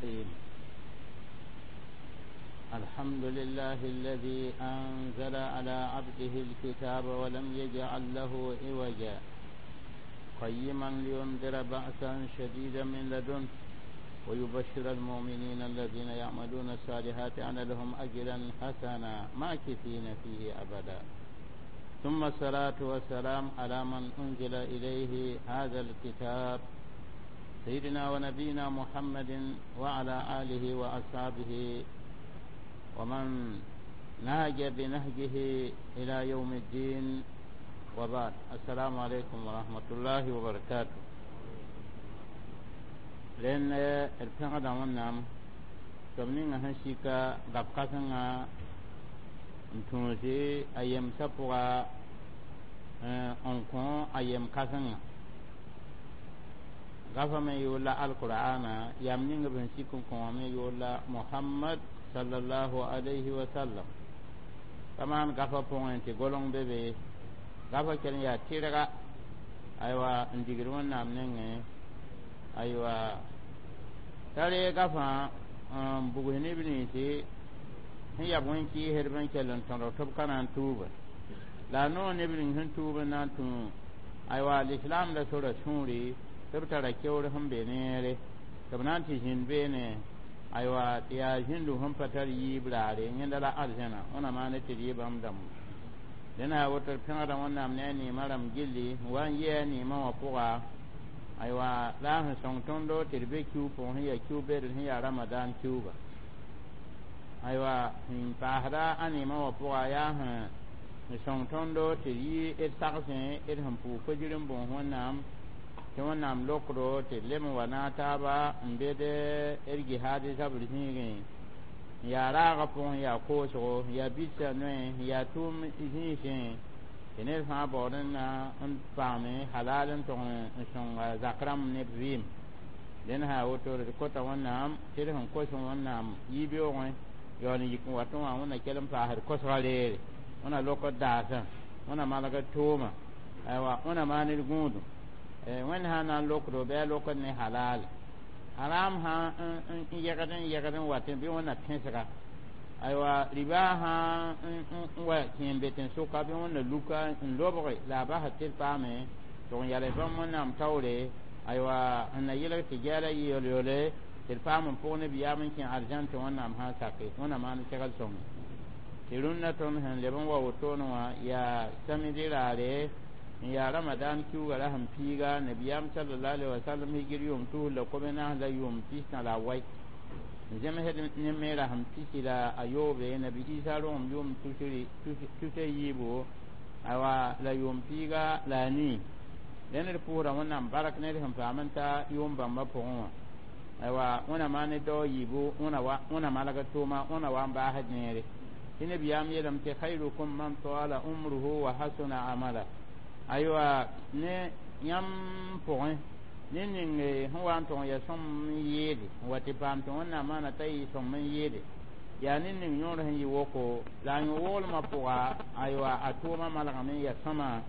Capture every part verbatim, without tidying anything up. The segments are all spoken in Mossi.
الرحيم. الحمد لله الذي أنزل على عبده الكتاب ولم يجعل له عوجا، قيما لينذر بأسا شديدا من لدنه ويبشر المؤمنين الذين يعملون الصالحات أن لهم أجرا حسنا ماكثين فيه أبدا. ثم الصلاة والسلام على من أنزل إليه هذا الكتاب، سيدنا ونبينا محمد وعلى آله وأصحابه ومن نهج بنهجه إلى يوم الدين، وبعد. السلام عليكم ورحمة الله وبركاته. لأن الفقد ونعم تبنين هنشيكا غبقتنا n tũusi a yemsã pʋga n kõ a yem kãsengã gafa me yʋʋr la alqur'ana yam ning b sẽn sik n kõ wã me yʋʋr la Mohamad sallallahu alayhi wa sallam. Pa maan gafa pʋgẽ tɩ goleng be be gafa kell n yaa tɩrga, aywa, n digd Wẽnnaam nengẽ, aywa, t'a reeg gafã n bugs neb ninsi sẽn yab wẽn-kɩɩsdb n kell n tõdg tɩ b ka na n tuuba la a noog neb ning sẽn tuub n na n tũ, aywa, lislaam la sora sũuri tɩ b tara keoor sẽn be neere tɩ b na n tɩ zĩnd beene, aywa, tɩ yaa zĩndu sẽn pa tar yiib raare, yẽnda la arzẽna wẽna maane tɩ d yɩ bãmb dãmb. Dẽna yaa woto d pẽgda Wẽnnaam ne a neemã rãmb gilli n wa n yɩ a neemã wã pʋga, aywa, la a sẽn sõng tõndo tɩ d be kiu pʋgẽ sẽn yaa kiu bedr sẽn yaa Ramadan kiuga, aywa, sẽn paasda a neemã wã pʋga yaa sẽn sõng tõndo tɩ d yɩ d sagsẽ d sẽn pʋʋg fajir n bõos Wẽnnaam tɩ Wẽnnaam lokdo tɩ d lem n wa naag taaba n bed d gihaad zabr zĩigẽ n yaa raagã pʋgẽ, yaa koosgo, n yaa bɩsã noe, n yaa tʋʋm zĩisẽ tɩ ned fãa baood n na n paame halal n tog n sõnga zak rãmb ne b vɩɩm. Dẽn sã woto d kota Wẽnnaam tɩ d sẽn kos Wẽnnaam yiib-yoogẽ yaool n yik n watẽ wã wẽnna kell n paasd kosga reere, wẽna lokd daasã, wẽna malgd tʋʋma, aywa, wẽna maan d gũudum. Wẽnd sã n na n lokdo bɩ a lokd ne halal, haram sã n yɛgd n yɛgd n watẽ bɩ wẽnna pẽsga, aywa, riba sã n wa kẽ n be tẽn-sʋka bɩ wẽnna luka n lobge la a basd tɩ d paame tɩg n yals bãmb Wẽnnaam taoore, aywa, n na yelg tɩ gɛɛla yɩ yol-yole tɩ d paam n pʋg nebiyaam n kẽ arzãn tɩ Wẽnnaam sã n sake wẽnna maan segl sõnge tɩ rũnnã tõnd sẽn leb n wa wotone wã yaa samidi raare n yaa Ramadan kiuga ra sẽn piiga nabiyaam sallallahu alaihi wasallam hijir yʋʋm tus la kobe naas la yʋʋm pistã la a wai n zemsd ne me rasem pisi la a yoobe nabi Isa rogem yʋʋm tusa yiibo, aywa, la yʋʋm piiga la a nii. Dẽnd d pʋʋsda Wẽnnaam bark ne d sẽn paam n ta yʋʋm bãmbã pʋgẽ wã, aywa, wẽna maan ne dao yiibu, wẽna malgd tʋʋma, wẽna wa n baasd neere tɩ nabiyaam yeelame tɩ khayrukum man tala umruhu wa hasuna amala, aywa, ne yãmb pʋgẽ ne ning sẽn wa n tʋg n yaa sõm n yɩɩde n wa tɩ paam tɩ Wẽnnaam maana t'a yɩ sõm n yɩɩde yaa ne ning yõor sẽn yɩ woko la a yõ-woglmã pʋga, aywa, a tʋʋmã malgame n yaa sõma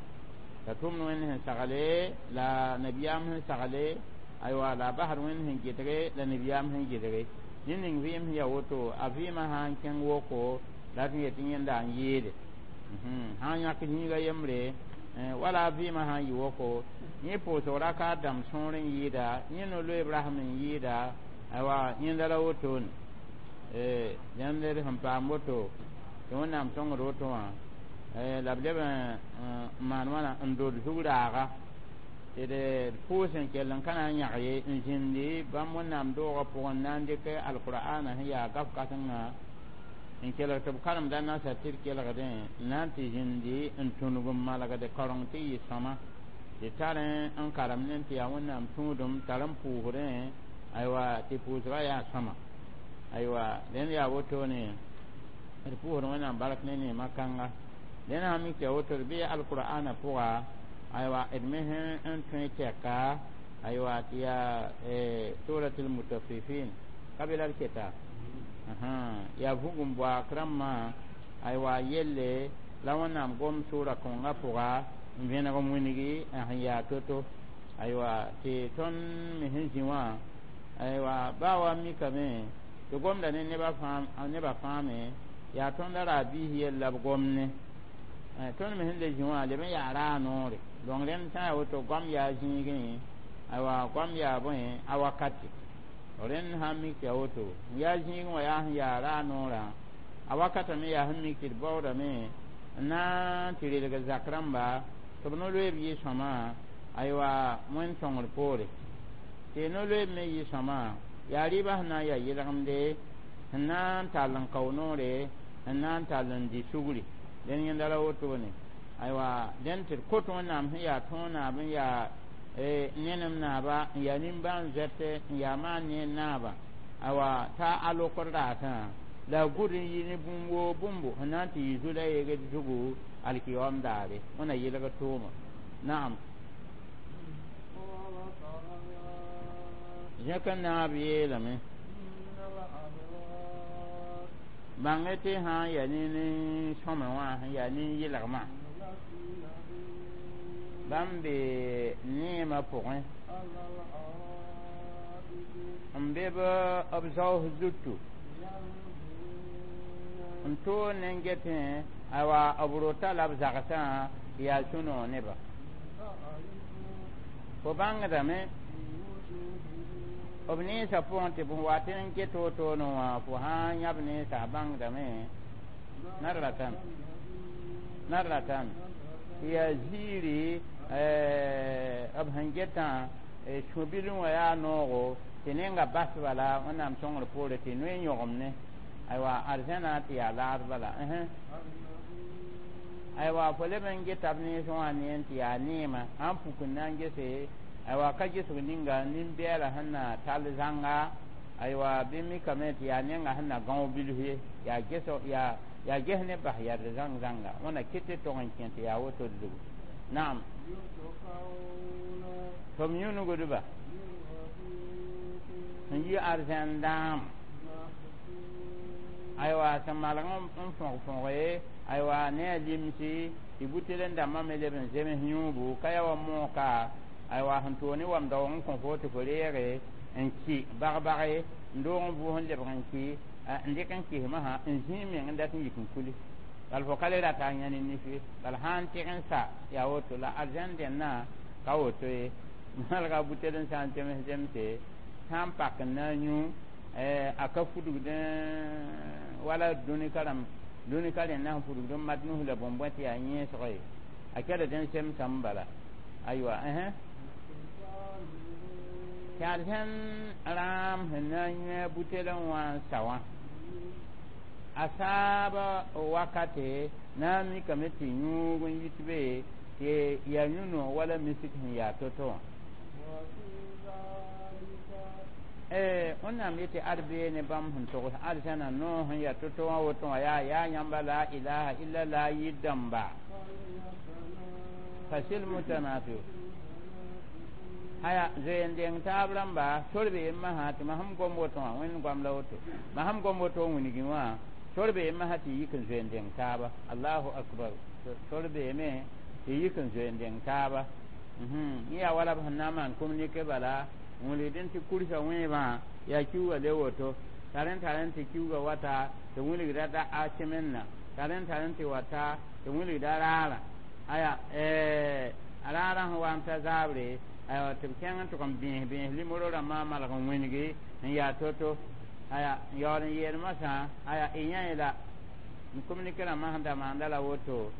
la tʋmd Wẽnd sẽn sagle la nabiyaam sẽn sagle, aywa, la a basd Wẽnd sẽn gɩdge la nabiyaam sẽn gɩdge ne ning vɩɩm sẽn yaa woto a vɩɩmã sã n kẽng woko la tɩ yetɩ yẽnda n yɩɩde sã n yãk zĩiga yembre wala a vɩɩmã sã n yɩ woko yẽ pʋʋsg rakaat dãmb sõor n yɩɩda yẽ no-loeeb rasem n yɩɩda, aywa, yẽnda la wotone dẽnd d sẽn paam woto tɩ Wẽnnaam sõngd woto wã la b leb n maan wãna n dod zug raaga tɩ d pʋʋs n kell n ka na n yãg ye n zĩndi bãmb Wẽnnaam doogã pʋgẽ n na n dɩk alqur'ana sẽn yaa gaf kãsengã n kelg tɩ b karemda nasa tɩ d kelgdẽ n na n tɩ zĩndi n tũnug n malgd kaoreng tɩ yɩ sõma tɩ tar n karem ne tɩ yaa Wẽnnaam tũudum tar n pʋʋsdẽ, aywa, tɩ pʋʋsgã yaa sõma, aywa, dẽnd yaa wotone d pʋʋsd Wẽnnaam bark ne neemã kãnga. Dẽnd sã mik tɩ yaa woto d bɩ alqur'ana pʋga, aywa, d me sẽn tõe tɛka, aywa, tɩ yaa surat almutaffifin ka be la d keta yaa vugum boak rãmbã, aywa, yelle la Wẽnnaam gom sʋʋra kõngã pʋga n vẽneg n wĩngi n sẽn yaa to-to, aywa, tɩ tõnd me sẽn zĩ wã. Aywa baa wa mikame tɩ gomda ne nebã nebã fãame yaa tõndã raa biis yell la b gomne tõnd me sẽn le zĩ wã leb n yaa raa noore donc rẽnd sã n yaa woto goam yaa zĩigẽ aywa goam yaa bõe a wakati rẽnd sã n mik tɩ yaa woto n yaa zĩigẽ wã yaa sẽn yaa raa noorã a wakata me yaa sẽn mik tɩ d baoodame n na n tɩ relg zak rãmba tɩ b no-loeeb yɩ sõma aywa wẽnd sõngr poore tɩ no-loeeb me yɩ sõma yaa rɩɩbã sẽn na n yaa yelgemde sẽn na n tall n kao noore sẽn na n tall n di sugri dẽn yẽnda la wotone aywa dẽn tɩ d kot wẽnnaam sẽn yaa tõog naab n yaa nenem naaba n yaa nimbãan zoɛte n yaa maan ne naaba aywa t'a a lokd raasã la a gʋd n yɩ ne bũmb woo bũmbo sẽn na n tɩ yɩ zu la yeegd zugu alkiyoom daare wẽna yelg tʋʋma naam zẽk n naab yeelame bãng tɩ sã n yaa ne nin-sõme wã sẽn yaa nin-yɩlgmã bãmb be neemã pʋgẽ n be b zaoos zutu n toog ne n getẽ aywa b rota la b zagsã yaa sũ-noog neba fo bãngdame b nensã pʋgẽ tɩ bõe wa tɩ n get wotone wã fo sã n yãb nensã bãngdame nadratan nadratan tɩ yaa ziiri b sẽn getã sũ-bil wã yaa noogo tɩ nenga bas bala wẽnnaam sõngr poore tɩ noe yõgem ne aywa arzãna tɩ yaa laad bala aywa fo leb n geta b nens wã ne n tɩ yaa neema sãn puk n na n gese aywa ka gesg ninga nin-bɛɛla sẽn na tall zãnga aywa bɩ mikame tɩ yaa nenga sẽn na gão bilf ye yaa ges yaa yaa ges ne bas yard zãng zãnga wẽna ket tɩ tog n kẽ tɩ yaa woto zugu naam tɩ b yũnugdba sẽn yi arzãn dãam aywa sẽn malg n fõg fõge aywa ne a limsi tɩ butel n dãmbã me leb n zems yũubu ka yaa wa mooka aywa sẽn toog ne wam daoog n kõ fo tɩ fo reege n ki bag-bage n doog n vʋʋs n lebg n ki n dɩk n kismã sã n zĩig meng n dat n yik n kuli bal fo ka le rata a yãne nif ye bal sã n tɩg n sa yaa woto la arzãn dẽnna ka woto ye malga butel n sã n zems zemse sã n pak n na n yũ a ka fudgdẽ wala dũni ka rãmb dũni ka rẽnda sẽn fudgd n mat nus la bõn-bõe tɩ yaa yẽesg ye a kelg n semsame bala aywa tɩ arzãn rãam sẽn na n yũ a butel n wã n sa wã a saab wakate na n mikame tɩ yũug n yit be tɩ yaa yũ-noog wala misik sẽn yaa to-to wã wẽnnaam yetɩ ad bee ne bãmb sẽn togs arzãna noog sẽn yaa to-to wã woto wã yaa yaa yãmba la ilaha illa la yir dãmba fasil mutanafiu haya zoe n deng taab rãmba sor be yemma sã tɩ mam sẽn gom woto wã wẽnd goam la woto mam sẽn gom woto n wilgẽ wã sor be yemma sã tɩ yik n zoe n deng taaba allahu akbar sor beeme tɩ yik n zoe n deng taaba yẽ yaa wala b sẽn na n maan communiqué bala n wilgdẽ tɩ kursa wẽebã yaa kiuga le woto tar n tar n tɩ kiuga wata tɩ wilgda da a semenna tar n tar n tɩ wata tɩ wilgda raarã aya a raarã sẽn wa n ta zaabre aywa tɩ b kẽng n tʋg n bẽes bẽes limoro rãmbã malg n wĩngi n yaa to-to aya n yaool n yeel masã aya y yã la n communiqué rãmbã sẽn da maanda la woto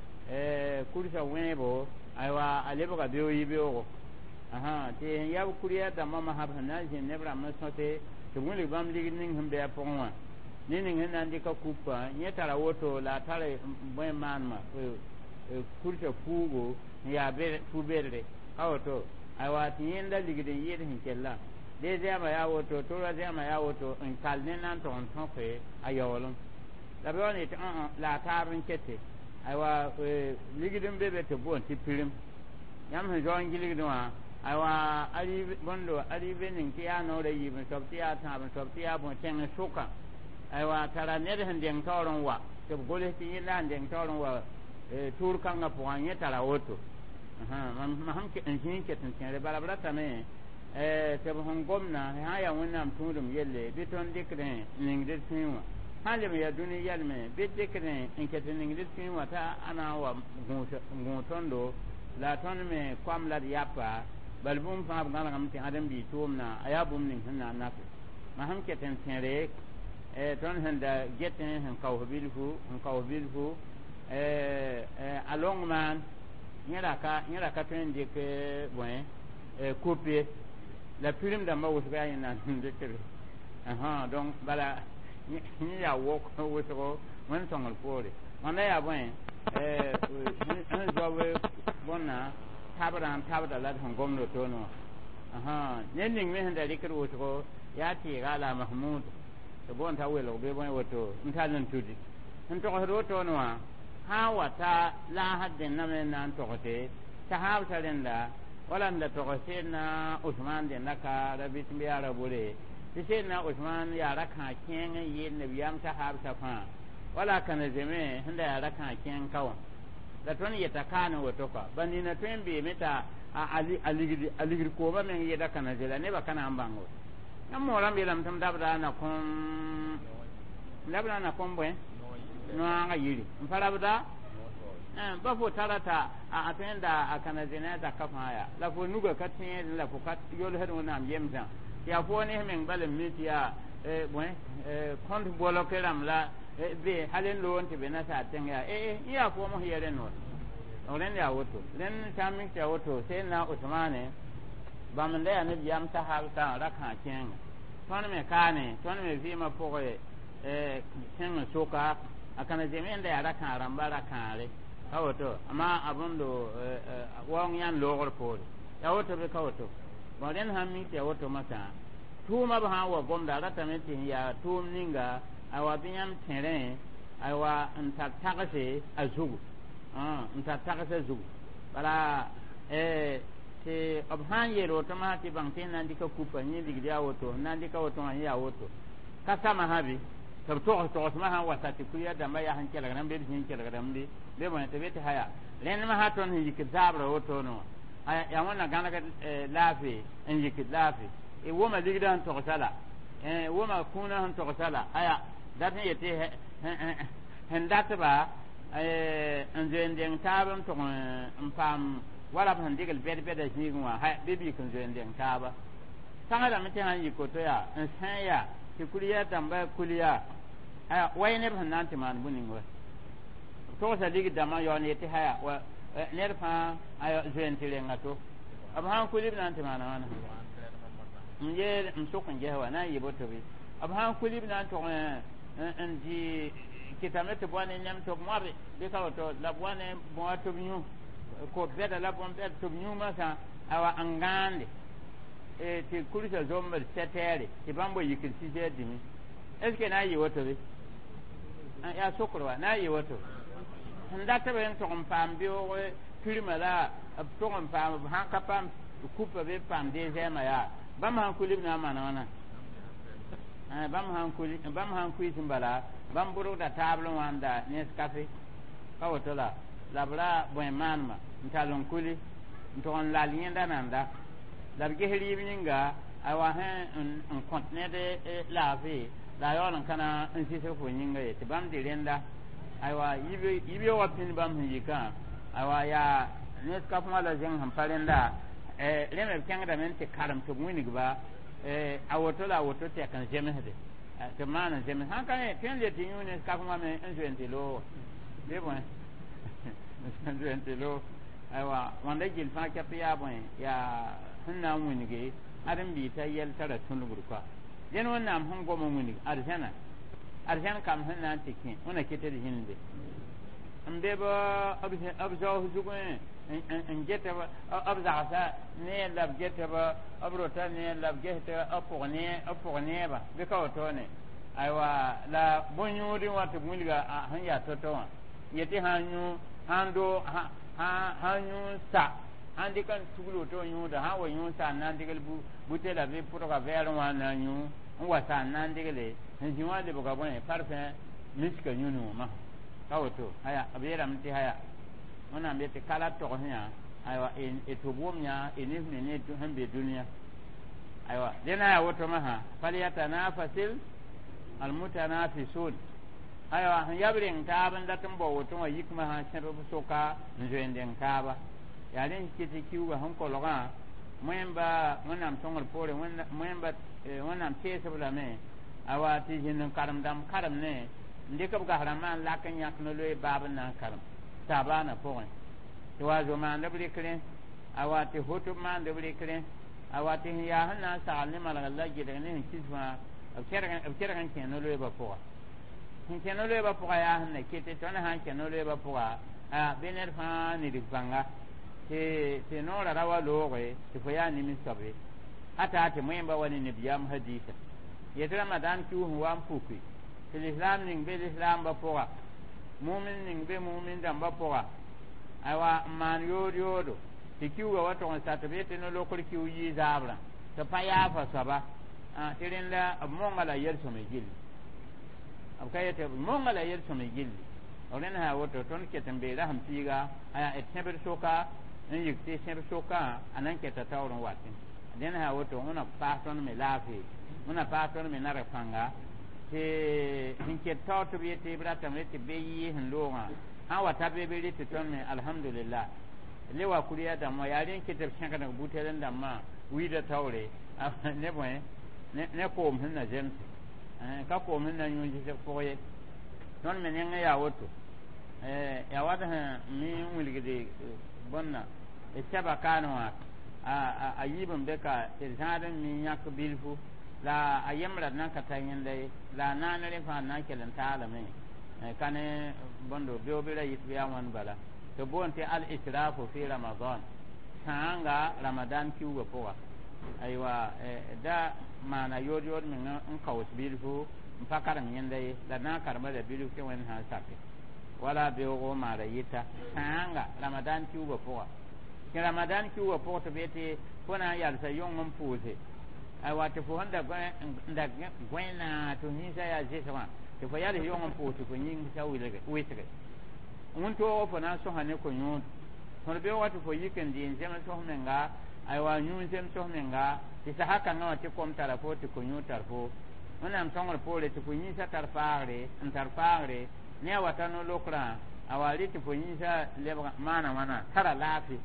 kursa wẽebo aywa a lebga beoog yibeoogo tɩ sẽn yaa b kurɩyã dãmbã masã b sẽn na n zĩnd neb rãmb n sõte tɩ b wilg bãmb ligd ning sẽn be a pʋgẽ wã ne ning sẽn na n dɩka kupã yẽ tara woto la a tar bõe maanema kursa fuugo n yaa fu-bedre ka woto aywa tɩ yẽnda ligd n yɩɩd sẽn kella dee zɛɛmã yaa woto tora zɛɛmã yaa woto n kal ne na n tog n tõke a yaoolem la b yaool n yetɩ la a taab n kete aywa ligd n be be tɩ boond tɩ pirim yãmb sẽn zao n gilgdẽ wã aywa arive bõndo arive ning tɩ yaa noorã yiib n soab tɩ yaa tãab n soab tɩ yaa bõe tẽng sʋka aywa tara ned sẽn deng taoor n wa tɩ b gols tɩ yẽla n deng taoor n wa tʋʋr kãngã pʋgã yẽ tara woto mam sẽn n zĩig ket n tẽere bala b ratame Tɩ b sẽn gomdã sã n yaa Wẽnnaam tũudem yelle bɩ tõnd dɩkdẽ n ning d sũyẽ wã sã n leb n yaa dũni yɛlme bɩ dɩkdẽ n ket n ning d sũyẽ wã t'a a na n wa gũus tõndo la tõnd me koam la d yapa bal bũmb fãa b gãnegame tɩ ãdem-biig tʋʋmdã a yaa bũmb ning sẽn na n nafe ma sẽn ket n tẽre tõnd sẽn da getẽ sẽn kaoos bilfu sẽn kaoos bilfu a long maan yẽ ra ka yẽ ra ka tõe n dɩk bõe kup ye la pirim dãmbã wʋsg yaa yẽ na n dɩkre donc bala yẽ yaa wok wʋsgo wẽnd sõngr poore wãnda yaa bõe sẽn zaob bõnna tabrã n tabda la d sẽn gomd wotone wã ned ning me sẽn da rɩkd wʋsgo yaa tɩɩga la Mahmud tɩ boond t'a welg bɩ bõe woto n tall n tudi sẽn togsd wotone wã sã n wa ta laasd dẽnna me n na n togse t'a haabsa rẽnda wala n da togs Seedna Usman dẽnda ka ra bɩ tɩ yaa ra bore tɩ Seedna Usman yaa ra-kãag kẽeng n yɩɩd nabiyaam t'a haabsa fãa wala kãna zeme sẽn da yaa ra-kãag kẽeng ka wã la tõnd yeta kaane woto kɔa ba nina tõe n beeme t'a a ligd koomã meng yɩɩda kãna ze la nebã ka na n bãng woto yãmb moorãmb yeelame tɩ m dabda a na kõm dabda a na kõm bõe noaagã yiri n pa rabda ba fo tara t'a a tõe n da a kãna ze ne a zakã fãa yaa la fo nuga ka tẽed la fo ka yolsd Wẽnnaam yemsã tɩ yaa fo ne meng bal n mi tɩ yaa bõe kõnt bolk rãmb la be hal n loog n tɩ be nasaar tẽng yaa ee yẽ yaa foom sẽn yɛ rẽnd wã rẽnd yaa woto rẽnd sã n mik tɩ yaa woto Seedna Usmane bãmb n da yaa nabiyaam sahabsã ra-kãag kẽenga tõnd me kaane tõnd me vɩɩmã pʋgẽ kẽng n soka a kãna zeme n da yaa ra-kãag rãmba ra-kãare ka woto amma a bõndo waoong yãnd loogr poore yaa woto bɩ ka woto bõn rẽnd sãn mik tɩ yaa woto masã tʋʋmã b sã n wa gomda a ratame tɩ sẽn yaa tʋʋm ninga aywa bɩ yãmb tẽrẽ aywa n tar tagse a zugu n tar tagse zugu bala tɩ b sã n yeel woto masã tɩ bãng tɩ n na n dɩka kupa yẽ ligd yaa woto n na n dɩka woto wã yẽ yaa woto ka sama sã bɩ tɩ b togs togsmã sã n wa sa tɩ kuya dãmbã yaa sẽn kelgrame bɩ b zĩ n kelgrame bɩ bɩ bõe tɩ be tɩ haya rẽnd masã tõnd sẽn yikd zaabrã wotone wã yaa Wẽnna gãnegd laafɩ n yikd laafɩ wʋma ligdã sẽn togsa la wʋma kũunã sẽn togsa la aya dat n yetɩ sẽn datba n zoe n deng taab n tʋg n paam wala b sẽn dɩgl bɛd-bɛda zĩigẽ wã bɩ b yik n zoe n deng taaba tagsdame tɩ sãn yik woto yaa n sã yaa tɩ kuliya dãmba kuliya aya way neb sẽn na n tɩ maan bũ-ning wa togsa ligd dãmbã yaool n yetɩ haya wa ned fãa aya zoe n tɩ renga to b sãn kuli b na n tɩ maana wãna n yeel n sʋk n ges wa na n yɩ boto bɩ b sãn kuli b na n tʋg n dɩ kɩtame tɩ bõa ne nem tɩ b moabe bɩ ka woto la b wa ne bõa tɩ b yũ ko bɛda la bõn-bɛd tɩ b yũ masã awa n gãande tɩ kursa zombd sɛtɛɛre tɩ bãmb wa yikd six heures demi est ce que na n yɩ woto bɩ yaa sokr wa na n yɩ woto sẽn dat b n tʋg n paam beoog pirmã la b tʋg n paam b sãn ka paam kupa bɩ paam dezɛɛmã yaa bãmb sãn kuli b na n maana wãna bãmb sãn kuli bãmb sãn kuiis n bala bãmb bʋrgda taabl wã n da Nescafé ka woto la la b ra bõe maanema n tall n kuli n tʋg n lal yẽnda nanda la b ges rɩɩb yĩnga aywa sẽn n kõt ned laafɩ la a yaool n ka na n sisg fo yĩnga ye tɩ bãmb dɩ rẽnda aywa yibeoogã pĩnd bãmb sẽn yikã aywa yaa Nescafé wã la zẽng sẽn pa rẽnda rẽ me b kẽngdame n tɩ karem tɩ b wĩnigba a woto la a woto tɛk n zemsde tɩ b maan n zems sãn ka ne tõe n le tɩ yũ Nescafé wã me n zoe n tɩ loog bɩ bõe n zoe n tɩ loog aywa wãnda gill fãa kɛp yaa bõe yaa sẽn na n wĩnge ãdem-biig t'a yɛl tara tũnugd koa dẽn Wẽnnaam sẽn gom n wĩnig arzãna arzãn kam sẽn na n tɩ kẽ wẽna ket d zĩnde n be b zaoos zugẽ n get b zagsa neer la b getb b rota neer la b ges b pʋg neeba bɩ ka wotone aywa la bõn-yũudẽ wã tɩ b wilga sẽn yaa to-to wã yetɩ sã n yũ sãn do sãn yũ sa sãn dɩk n tugl woto n yũuda sã n wa yũ sa n na n dɩgl butela bɩ pʋdga vɛɛr wã n na n yũ n wa sa n na n dɩgle n zĩ wã lebga bõe parfum miska yũ-nuumã ka woto aya b yeelame tɩ haya Wẽnnaam yetɩ ka la togs yã aywa y tɩ b wʋm yã y nif ne ne sẽn be dũniyã aywa dẽna yaa woto masã falyatanafasil almutanafisun aywa sẽn yab reng taab n dat n bao woto wã yikmã sã sẽb b soka n zoe n deng taaba yaa rẽ kɩ tɩ kiuugã sẽn kolgã wẽmba wẽnnaam sõngr poore wẽmba wẽnnaam teesb lame awa tɩ zĩnd n karem dãmb karem ne n dɩk b gas rãmbã n lak n yãk no-loe baab n na n karem sabaanã pʋgẽ tɩ wa zo maand b rɩkrẽ awa tɩ hoto b maand b rɩkrẽ awa tɩ sẽn yaa sẽn na n sagl ne malgr la gɩdg ne sẽn kis fãa b kẽrg n kẽ no-loeebã pʋga sẽn kẽ no-loeebã pʋga yaa sẽn na ket tõnd sã n kẽ no-loeebã pʋga bɩ ned fãa nidg pãnga tɩ tɩ noorã ra wa looge tɩ fo yaa nimis soab ye ata tɩ wẽmba wa ne nabiyaam hadiisa yetɩ ramadan kius sẽn wa n puki tɩ lislaam ning be lislaambã pʋga mumin ning be mumin dãmbã pʋga aywa n maan yood yoodo tɩ kiuugã wa tog n sa tɩ b yetɩ no-lokr kiu yɩ zaabrã tɩ pa yaafa soaba tɩ rẽnda b monga la yel-sõme gilli b ka yetɩ b monga la yel-sõme gilli b rẽnd sã woto tõnd ket n bee rasem piiga aya d sẽbd soka n yik tɩ sẽb sokã a na n keta taoor n watẽ dẽnd sã woto wẽna paas tõnd me laafee wẽna paas tõnd me narg pãnga tɩ sẽn ket taoor tɩ b yetɩ b ratame tɩ be yɩɩ sẽn loogã sã n wa ta be be rɩ tɩ tõnd me alhamdulillah le wa kuriya dãmbã yaa rẽ n ket b sẽgdg butel n dãmbã wiida taoore ne bõe ne koom sẽn na zemse ka koom sẽn na yũ zɩsg pʋg ye tõnd me nengẽ yaa woto yaa wat sẽn mi n wilgd bõnna sɛba kaane wã a yiib n be ka tɩ d zãad n mi yãk bilfu la a yembra d nan ka ta yẽnda ye la a naan rẽ fãa na n kell n taalame ka ne bõndo beoobɩ ra yit bɩ yaa wãn bala tɩ boond tɩ al israfu fi ramadan sãanga ramadan kiuugã pʋga aywa da maana yood yood meng n kaoos bilfu n pa karem yẽnda ye la na n karema la bilf tɩ wẽnd sã n sake wala beoogo maara yɩta sãanga ramadan kiuugã pʋga tɩ ramadan kiuugã pʋg tɩ b yetɩ fo na n yalsa yõng n pʋʋse aywa tɩ fo sẽn da gõena tɩ yĩnsã yaa zɩsgã tɩ fo yals yõng n pʋʋs tɩ fo yĩngsa wɩsge wẽn-toog fo na n sõsa ne ko-yũud tõd beoogã tɩ fo yik n dɩ n zems fo menga aywa yũ n zems fo menga tɩ sasa kãngã wã tɩ kom tara fo tɩ ko-yũud tar fo wẽnnaam sõngr poore tɩ fo yĩnsã tar faagre n tar faagre ne a wata no-lokrã a wa rɩ tɩ fo yĩnsã lebg maana wãna tara laafɩ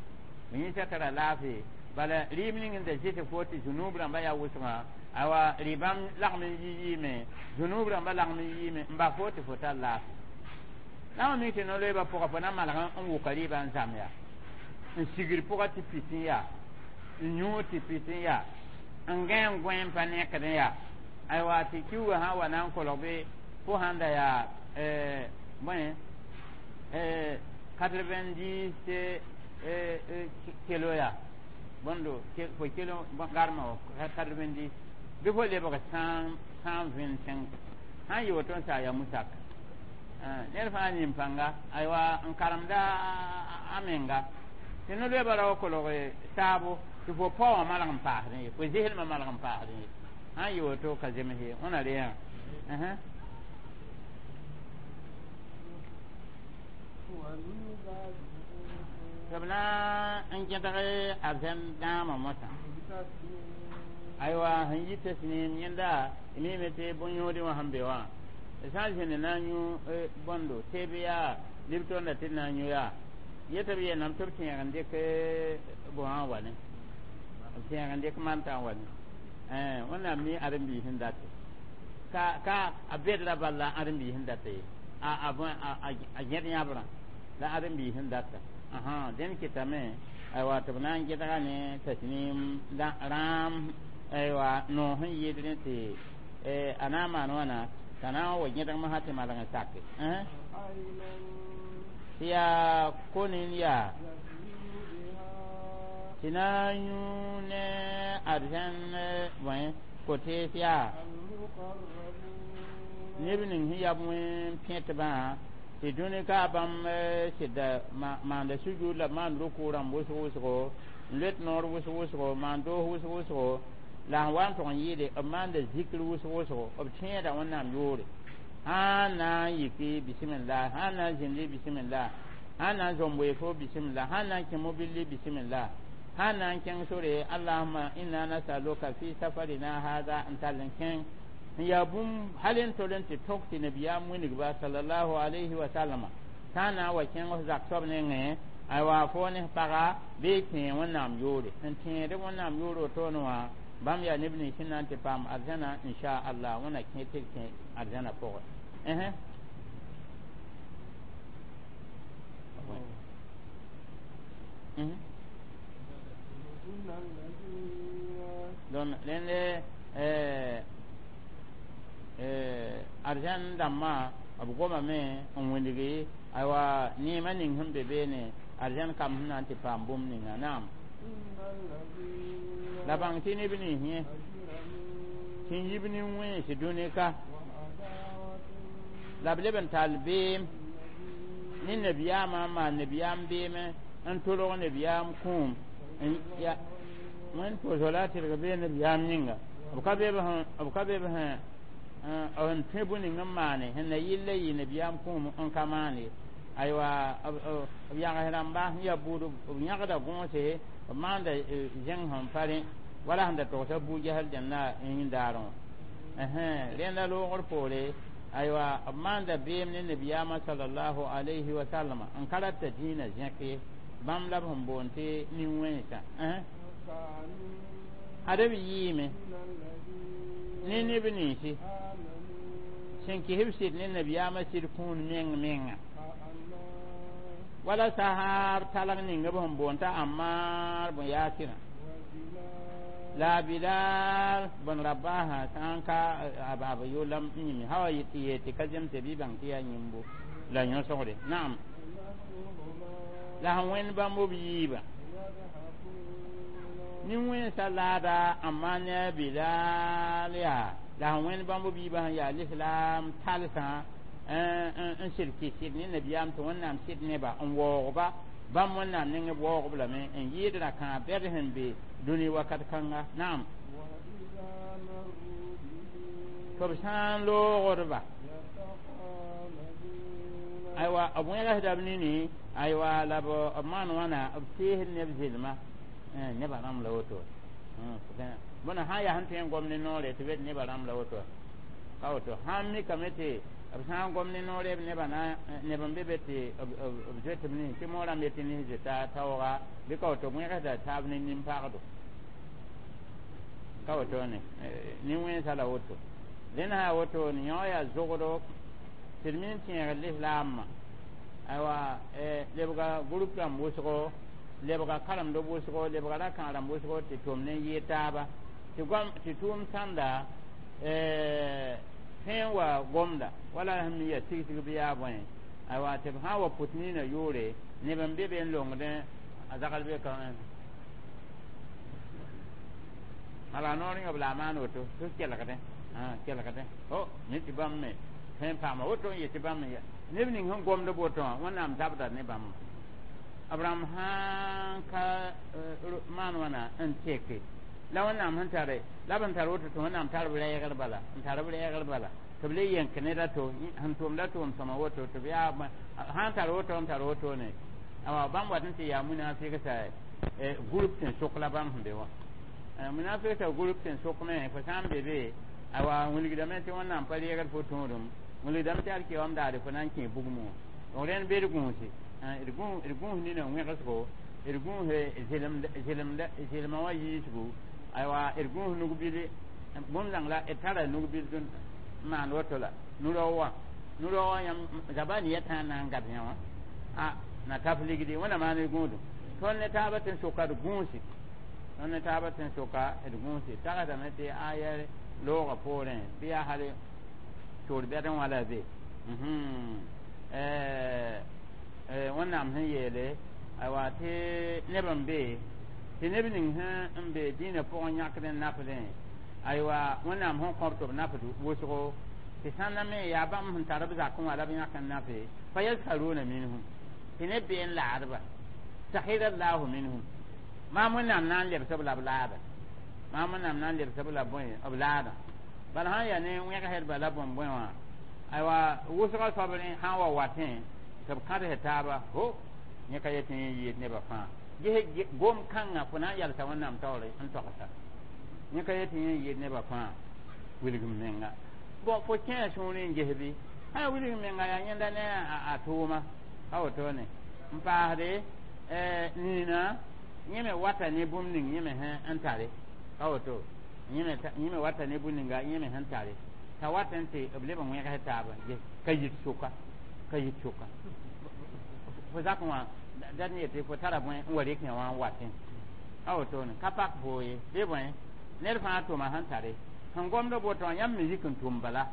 fo yĩnsã tara laafɩ bala rɩɩb ning n da zɩs fo tɩ zunub rãmbã yaa wʋsgã awa rɩ-bãmb lagm n yi yɩɩme zunub rãmbã lagm n yɩɩme n bas fo tɩ fo tar laafɩ la wã mik tɩ no-loeebã pʋga fo na malg n wʋka rɩɩbã n zãm yaa n sigr pʋga tɩ pis n yaa n yũud tɩ pis n yaa n gã n gõe n pa nekd n yaa aywa tɩ kiuugã sã n wa na n kolg bɩ fo sãn da yaa bõe quatre-vingt-dix kilo yaa bõndo fo kilo garmã wa quatre-vingt-dix bɩ fo lebg cent cent vingt-cinq sã n yɩ woto n saa yaa musak ned fãa nin pãnga aywa n karemda a menga tɩ no-loeebã ra wa kolg saabo tɩ fo pao wã malg n paasdẽ ye fo zɩslmã malg n paasdẽ ye sã n yɩ woto ka zems ye wẽna re yã tɩ b na n gẽdg arzɛn dãamã mosã aywa sẽn yi tasnim yẽnda mime tɩ bõn-yõodẽ wã sẽn be wã sã n zĩnd na n yũ bõndo teeb yaa Lipton la tɩ na n yũ yaa yetɩ b yeelame tɩ b tẽeg n dɩk bõwã n wa ne b tẽeg n dɩk manta n wa ne wẽnnaam mi ãdem-biis n date ka ka a bedra bal la ãdem-biis n data ye a a gẽd yãbrã la ãdem-biis n data dẽnd kɩtame aywa tɩ b na n gẽdga ne tasnim rãam aywa noos sẽn yɩɩd rẽ tɩ a na n maan wãna t'a na n wa gẽdg masã tɩ malg n sake tɩ yaa ko-nin yaa tɩ na n yũ ne arzãn bõe ko-tees yaa neb ning sẽn yaa wẽn pẽtbã tɩ dũni ka bãmb sɩda maanda sujud la b maan ruku rãmb wʋsg wʋsgo n loet noor wʋsg wʋsgo maan doos wʋsg wʋsgo la sẽn wa n tog n yɩɩde b maanda zikr wʋsg wʋsgo b tẽeda wẽnnaam yoore sãn na n yiki bisimilla sãn na n zĩndi bisimilla sãn na n zomb weefo bisimilla sãn na n kẽ mobilli bisimilla sã n na n kẽng sore allahuma inna nasaluka fi safarina hada n tall n kẽng n yaa bũmb hal n tol n tɩ tok tɩ nabiyaam wilgba sallallahu alayhi wa sallama sã n na n wa kẽng f zak soab nengẽ aywa fo ne paga bɩ tẽe wẽnnaam yoore sẽn tẽed wẽnnaam yoor wotone wã bãmb yaa neb nins sẽn na n tɩ paam arzãna inchallah wẽna kẽ tɩ d kẽ arzãna pʋgẽ donc rẽnd arzãn dãmbã b gomame n wilgi aywa neemã ning sẽn be beene arzãn kam sẽn na n tɩ paam bũmb ninga naam la bãng tɩ neb nins yẽ sẽn yib nin-wẽns dũni-ka la b leb n tall beem ne nabiyaamã n maan nabiyaam beeme n tolg nabiyaam kũum wẽnd pʋʋsg la a tɩrg bee nabiyaam yĩnga b ka be b sẽn n tõe bũ-ning n maane sẽn na yɩlla yɩ nabiyaam kũum n ka maane aywa b yags rãmba sẽn yaa buud b yãgda gõose b maanda zẽng sẽn pa rẽ wala sẽn da togsa bu-gesl dẽnna yĩndaarẽ wã rẽnda loogr poore aywa b maanda beem ne nabiyaamã salallahu alayhi wa sallama n ka rata dĩinã zẽk ye bãmb la b sẽn boond tɩ nin-wẽnsã ad b yɩɩme ne neb ninsi sẽn kɩs b sɩd ne nabiyaamã sɩd kũun meng menga wala sahab talg ning b sẽn boond t'a Ammar bn Yasirã la Bilal bn Rabaha sã n ka b yʋlam n yĩme sã wa tɩ yeel tɩ ka zemse bɩ bãng tɩ yaa yĩmbo la yõsgre naam la sẽn wẽnd bãmb b yiibã nin-wẽnsã laada amma ne a Bilal yaa la sẽn wẽnd bãmb b yiibã sẽn yaa lislaam talsã n sɩd kɩ sɩd ne nabiyaam tɩ wẽnnaam sɩd neba n waoogba bãmb wẽnnaam neng b waoogb lame n yɩɩd ra-kãab bɛd sẽn be dũni wakat kãnga naam tɩ b sã n loogdba aywa b wẽgsda b nini aywa la b maan wãna b teesd neb zɩlma nebã rãmb la woto bõna sã n yaa sẽn tõe n gom ne noore tɩ bed nebã rãmb la woto ka woto sã n mikame tɩ b sã n gom ne noore b nebã na neb n be be tɩ b zoet b nins tɩ moorãmb yetɩ nins zoeta taooga bɩ ka woto b wẽgsda taab ne nin-pagdo ka woto ne nin-wẽnsã la woto rẽnd sã woto ne yõ yaa zogdo tɩ d min tẽeg lislaamã aywa lebga group rãmb wʋsgo lebga karemd wʋsgo lebga rakãag rãmb wʋsgo tɩ tʋm ne n yɩɩ taaba tɩ gom tɩ tʋʋm sãnda tõe n wa gomda wala sẽn me yaa tigsg bɩ yaa bõe aywa tɩ b sã n wa pʋt niinã yʋʋre neb n be be n longdẽ a zagl be ka mala noor yõb la a maan woto tɩ kelgdẽ kelgdẽ o mi tɩ bãmb me tõe n paama woto n yetɩ bãmb me neb ning sẽn gomd woto wã wẽnnaam zabda ne bãmb abraham sãn ka maan wãna n teke la wẽnnaam sẽn tare la b n tar woto tɩ wẽnnaam tar b rɛɛgr bala n tar b rɛɛgr bala tɩ b le yẽk ned a to sẽn tʋmda tʋʋm sõma woto tɩ b yaa sãn tar woto n tar woto ne awa bãmb wat n tɩ yaa munafiksa group tɩ n sok la bãmb sẽn be wã munafiksa group tɩ n sok me fo sã n be be awa wilgdame tɩ wẽnnaam pa reegd fo tõodem wilgdame tɩ alkiyoam daare fo na n kẽ bugmẽ wã donc rẽnd be d gũusi d gũus nina wẽgsgo d gũus zɩlmã wã yiisgu aywa d gũus nug-bil bũmb zãng la d tara nug-bil n maan woto la nu-rao wã nu-rao wã yãmb zaba ne yɛtã na n gab yã wã a na taf ligdi wẽna maan d gũudum tõnd ne taabã tɩ n soka d gũusi tõnd ne taabã tɩ n soka d gũusi tagsdame tɩ aya loogã poorẽ bɩ yaa hal toor bɛdẽ wã la be wẽnnaam sẽn yeele aywa tɩ neb n be tɩ neb ning sẽn n be dĩinã pʋgẽ yãkd n nafdẽ aywa wẽnnaam sẽn kõb tɩ b nafd wʋsgo tɩ sãnda me yaa bãmb sẽn tar b zakẽ wã la b yãk n nafe fa yaskaruna minhum tɩ neb bee n laadba sahira llahu minhum maam wẽnnaam na n lebs b la b laada maam wẽnnaam na n lebs b la bõe b laada bala sãn yaa ne wẽgsdba la bõn-bõe wã aywa wʋsgã soab rẽ sã n wa watẽ tɩ b kãds taaba ho yẽ ka yetɩ yẽ yɩɩd nebã fãa Ges gom kãngã fo na n yalsa Wẽnnaam taoore n togsa yẽ ka yetɩ yẽ n yɩɩd nebã fãa wilgem menga bon fo kẽa sũurẽ n ges bɩ sã wilg menga yaa yẽnda ne a tʋʋma ka wotone n paasde nina yẽ me wata ne bũmb ning yẽ me sẽn tare ka woto yẽ me wata ne bũmb ninga yẽ me sẽn tare t'a wat n tɩ b leb n wẽgs taaba ka yit sʋka ka yit sʋka fo zakẽ wã dat n yetɩ fo tara bõe n wa rɩk yã wã n watẽ a wotone ka pak foo ye bɩ bõe ned fãa tʋma sẽn tare sẽn gomd boto wã yãmb me yik n tʋm bala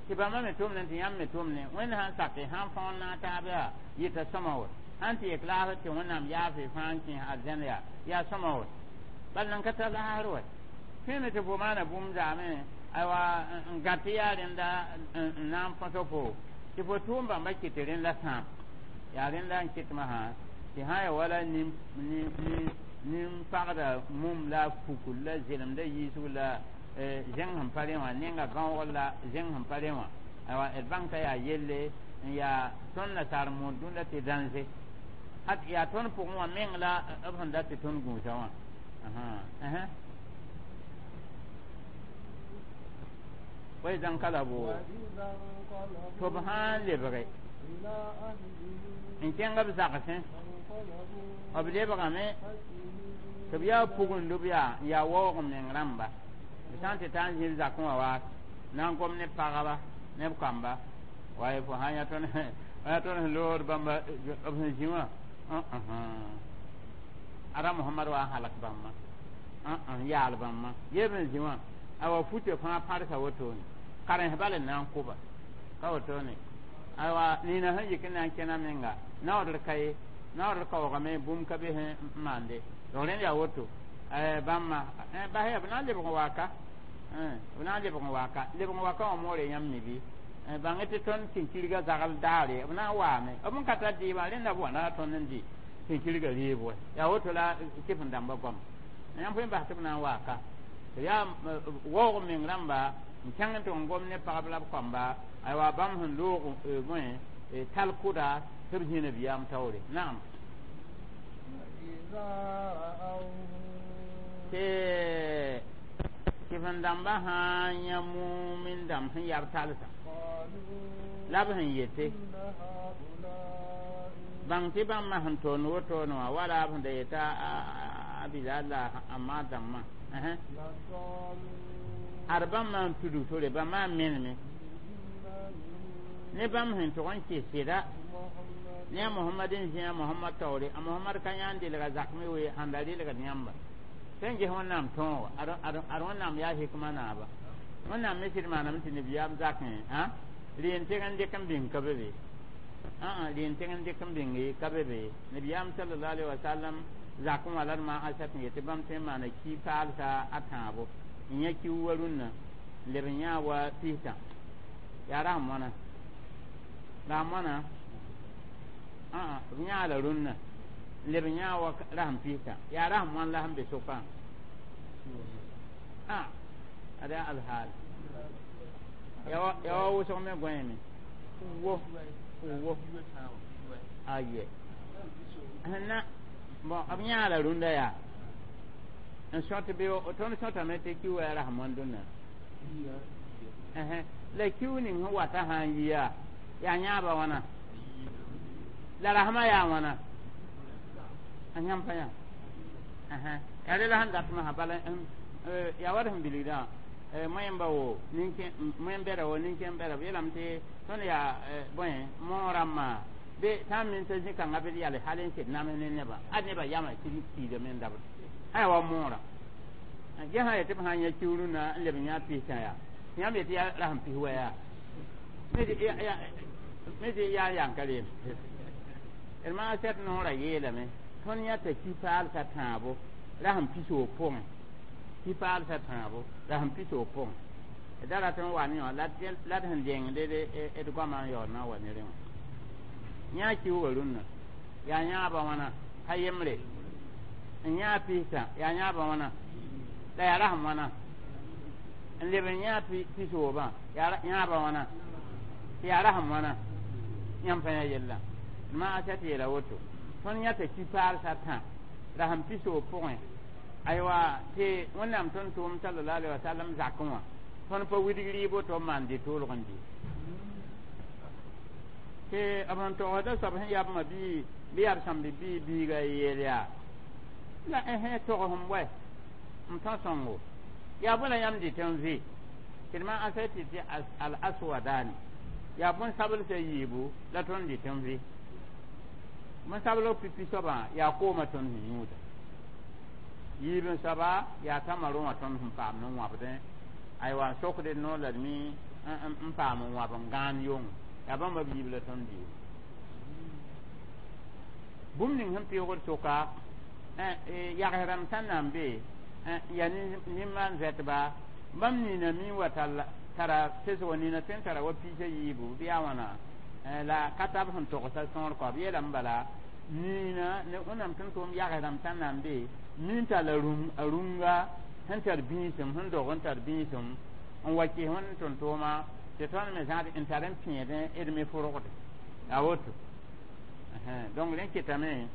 tɩ bãmba me tʋmne tɩ yãmb me tʋmne Wẽnd sãn sake sãn fõor naag taab yaa yɩta sõma wot sãn tɩ yek laafr tɩ Wẽnnaam yaafɩ fãa n kẽes arzãn yaa yaa sõma wot bal nan ka tar laasr wa tõeme tɩ fo maana bũmb zaame aywa n gãt tɩ yaa rẽnda n na n põs fo tɩ fo tʋʋm bãmba kɩt tɩ rẽnda sãam yaa rẽnda n kɩtmã sã tɩ sã ya wala nin-pagda mum la fukul la zelemda yiisg la zẽng sẽn pa rẽ wã nenga gãoogr la zẽng sẽn pa rẽ wã aywa d bãng t'a yaa yelle n yaa tõnd nasaar mood dũnda tɩ dãnze hat yaa tõnd pʋgẽ wã meng la b sẽn dat tɩ tõnd gũusa wã وإذا انقلبوا tɩ b sãn lebge n kẽng b zagsẽ b lebgame tɩ b yaa pugund b yaa n yaa waoog meng rãmba b sã n tɩ taa n zĩb zakẽ wã waas na n gom ne pagba ne b kamba wa fo sã yã tõnd sẽn lood bãmba b sẽn zĩ wã ara Mohamad wa n halk bãmba n yaal bãmba yeb n zĩ wã awa fute fãa pãrsa wotone karens bal n na n kʋba ka wotone awa nina sẽn yik n na n kẽna menga naoodr ka ye naoodr kaoogame bũmb ka be sẽn maande donc rẽnd yaa woto bãmba bas yaa b na n lebg n waaka b na n lebg n waaka lebg n waka wã moore yãmb mi bɩ bãng tɩ tõnd kĩnkirgã zagl daare b na n waame b n ka tar dɩɩbã rẽnda b wa na tõnd n dɩ kĩnkirgã reeb wa yaa woto la kɩf n dãmbã goam yãmb fo bas tɩ b na n waaka yaa waoog meng rãmba n kẽng tɩ n gom ne pagb la b kamba aywa bãmb sẽn loog bõe tal kʋda tɩ b zĩ nabiyaam taoore naam tɩ kɩf n dãmbã sã n yã mumin dãmb sẽn yab talsã la b sẽn yete bãng tɩ bãmba sẽn toond wotone wã wala b sẽn da yeta a Bilal la a maa dãmbã ad bãmb maan tudg tore bãmb maan meneme ne bãmb sẽn tʋg n kɩs sɩda ne a Mohamad n zĩ a Mohamad taoore a Mohamad ka yãan delga zakme we sãn da relgd yãmba sẽn ges Wẽnnaam tõoga ad Wẽnnaam yaa hikma naaba Wẽnnaam me sɩd maaname tɩ nabiyaam zakẽ reen teg n dɩk n bĩng ka be be reen teg n dɩk n bĩnge ka be be nabiyaam sallallahu alaihi wasallam zakẽ wã la d maan asat n yetɩ bãmb tõe n maana ki paalsa a tãabo n yã kiu wa rũnnã n leb n yãa wa pistã yaa rasem wãna rasem wãna b yãa la rũnnã n leb n yãa wa rasem pistã yaa rasem wãn la sẽn be sʋkã ad yaa alhaal yaa wa wʋsg me gõeeme wo wo aye na bon b yãa la rũndã yaa n sõt bɩ tõnd sõtame tɩ ki wa rasem wãn dũnna la kiu ning sẽn wata sã n yi yaa yaa yãaba wãna la rasmã yaa wãna a yãmb pa yã yaa rela sẽn datmã sã bala yaa wa d sẽn bilgdã moẽmba wo moẽm-bɛda wo nin-kẽem-bɛda b yeelame tɩ tõnd yaa bõe moog rãmbã bɩ sã n min t'a zĩ-kãngã bɩ d yale hal n sed nams ne nebã ad nebã yamã tɩ kiidame n dabd sã yaa wa moorã ge sã yetɩ b sã n yã kiu rũnnã n leb n yã pistã yaa yãmb yetɩ yaa rasem pis wa yaa me tɩ yaa yãn ka reem d maa sɛt noorã yeelame tõnd yãta ki paalsã tãabo rasem pisoog pʋgẽ ki paalsã tãabo rasem pisoog pʋgẽ da rat n wa ne wã la d sẽn dengd d goamã n yaood na n wa ne rẽ wã yã kiuga rũnnã yaa yãaba wãna ka yembre n yãa pistã yaa yãaba wãna la yaa rasem wãna n leb n yãa pisoobã yaa yãaba wãna tɩ yaa rasem wãna yãmb pa yã yella maa sɛt yeela woto tõnd yãta ki paalsã tã La sẽn pisoog pʋgẽ aywa tɩ Wẽnnaam tõnd-tʋʋm sallallahu alaihi wasallam zakẽ wã tõnd pa widg rɩɩbo tɩ b maan dɩ-toolg n dɩ tɩ b sẽn togsda soab sẽn yaa b ma bii bɩ yaa b sãmb bii biiga yeel yaa la ẽsẽ togs n bɔɛ n tõ sõngo yaa bõe la yãmb dɩt n vɩ tɩ d maan asa tɩ tɩ al aswadani yaa bõn-sablsã yiibu la tõnd dɩt n vɩ bõn-sablg pipi soabã yaa koomã tõnd sẽn yũuda yiib n soaba yaa tamarõ wã tõnd sẽn paam n wãbdẽ aywa n sokd d noor la d mi n paam n wãb n gãan yong yaa bãmba b yiib la tõnd dɩɩm bũmb ning sẽn pɩʋgd sʋka yags rãmb sã n na n be yaa nin-maan vɛtba bãmb nina mi wa tara pesgo nina tõe n tara wa piisã yiibu bɩ yaa wãna la ka tab sẽn togsa sõor kɔ b yeelame bala nina ne Wẽnnaam tẽn tʋʋm yags rãmb sã n na n be min tall a rũnga sẽn tar bĩisem sẽn dog n tar bĩisem n wa kɩs Wẽnd tʋm-tʋʋma tɩ tõnd me zãad n tar n pẽedẽ d me fʋrgde a woto donc rẽ kɩtame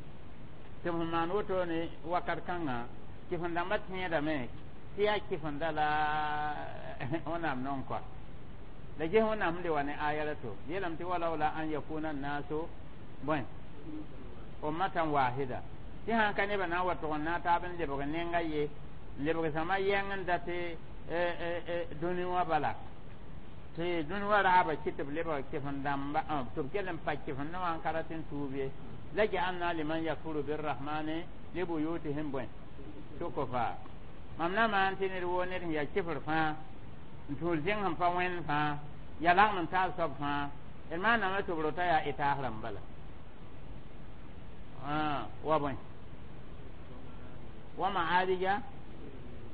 tɩ b sẽn maan woto ne wakat kãngã kɩf-n-dãmbã tẽedame tɩ yaa kɩf-n-da la Wẽnnaam nong kɔa la ges Wẽnnaam sẽn le wa ne aya la to yeelame tɩ walaula an yakuna nnasu bõe ummatan wahida tɩ sãn ka nebã na n wa tʋg n na n taab n lebg nenga ye n lebg sõma yɛng n dat dũni wã bala tɩ dũni wã raaba kɩ tɩ b lebg kɩf-n-dãmba tɩ b kell n pa kɩf-n wã n ka rat n tuub ye la ja'alna liman yakfuru birrahmani li buyutihim bõe sukufa mam na maan tɩ ned woo ned sẽn yaa kɩfr fãa n tũud zẽng sẽn pa wẽnd fãa ya lagem n taal soab fãa d maaname tɩ b rota yaa ɩtaas rãmb bala wa bõe wa ma'arija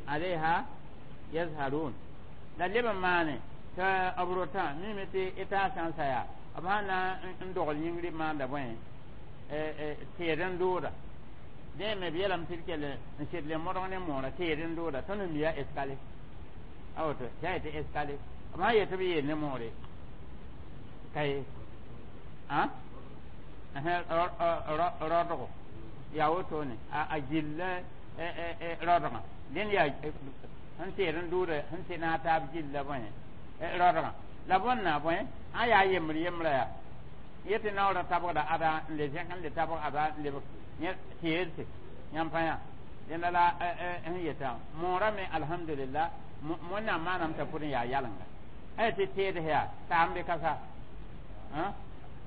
alayha yazharun la leb n maane tɩ b rotã mime tɩ ɩtaas sã n sa yaa b sã na n dogl yĩngri maanda bõe tɩɩd n dooda dẽ me b yeelame tɩ d kell n sɩd le modg ne moorã tɩɩd n dooda tõnd n miya escalier a woto tɩ a yetɩ escalier b sã yetɩ b yeel ne moore ka ye rodgo yaa wotone a gilla rodgã dẽnd yaa sẽn tɩɩd n dooda sẽn tɩ naag taab gilla bõe rodgã la bõnna bõe a yaa yembr yembrã yaa yetɩ naoorã tabgda ada n le zẽk n le tabg ada n lebg tɩɩdse yãmb pa yã dẽnda la sẽn yetã moorã me alhamdulillah Wẽnnaam maanam t'a pʋd n yaa yalenga a tɩ tɩɩds yaa taam be ka sa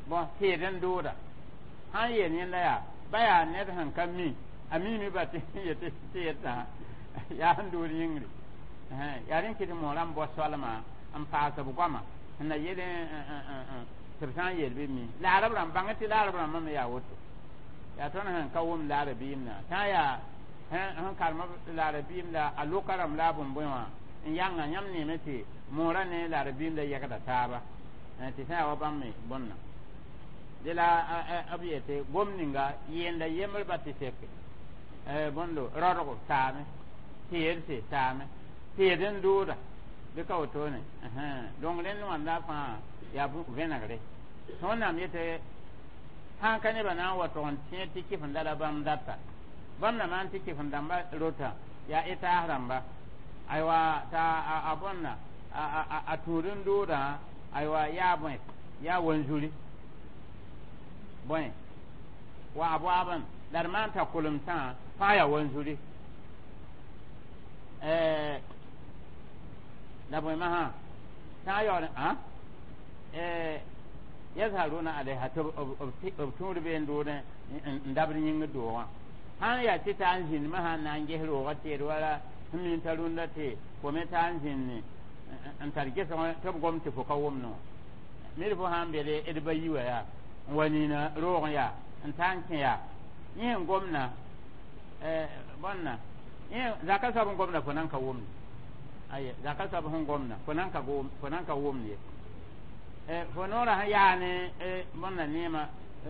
bõn tɩɩd n dooda sã n yeel yẽnda yaa ba yaa ned sẽn ka mi a miime ba tɩ yetɩ tɩɩdsã yaa sẽn dood yĩngre yaa rẽ kɩ tɩ moorã n bao soalma n paas b goama sẽn na yel tɩ b sã n yel bɩ mi laarb rãmb bãng tɩ laarb rãmbã me yaa woto yaa tõnd sẽn ka wʋm laara biim na sã n yaa sẽn karem laara biim la a loka rãmb la a bõn-bõe wã n yãnga yãmb neeme tɩ moorã ne laara biim la yɛgda taaba tɩ sã yaa wa bãmb me bõnna de la b yetɩ gom ninga yenda yembr ba tɩ seke bõndo rodgo taame tɩɩdse taame tɩɩd n dooda bɩ ka wotone donc rẽnd wãnda fãa yaa vẽnegre tɩ Wẽnnaam yetɩ sãn ka nebã na n wa tʋg n tẽed tɩ kɩf-n-da la bãmb data bãmb na maan tɩ kɩf-n-dãmba rota yaa ɩtaas rãmba aywa t'a a bõnna a tũud n doodã aywa yaa bõe yaa wanzuri bõe wa a boabẽ la d maan t'a kolemsã fãa yaa wanzuri la bõe masã sã n yaool yazharuna alayha tɩ b tũud bee n doodẽ n dabd yĩngr doogã sãn yaa tɩ taa n zĩnd masã n na n ges roogã tɩɩd wala sẽn min t'a rũndã tɩ fo me taa n zĩnd n tar gesg tɩ b gom tɩ fo ka wʋmd wã mid fo sã n bede d ba yi wa yaa n wa nina roog yaa n taa n kẽ yaa yẽ n gomna bõnna zaka soab n gomda fo nan ka wʋmd aye zaka soab sẽn gomna fo nan ka fo nan ka wʋmd ye fo noorã sẽn yaa ne bõnna neema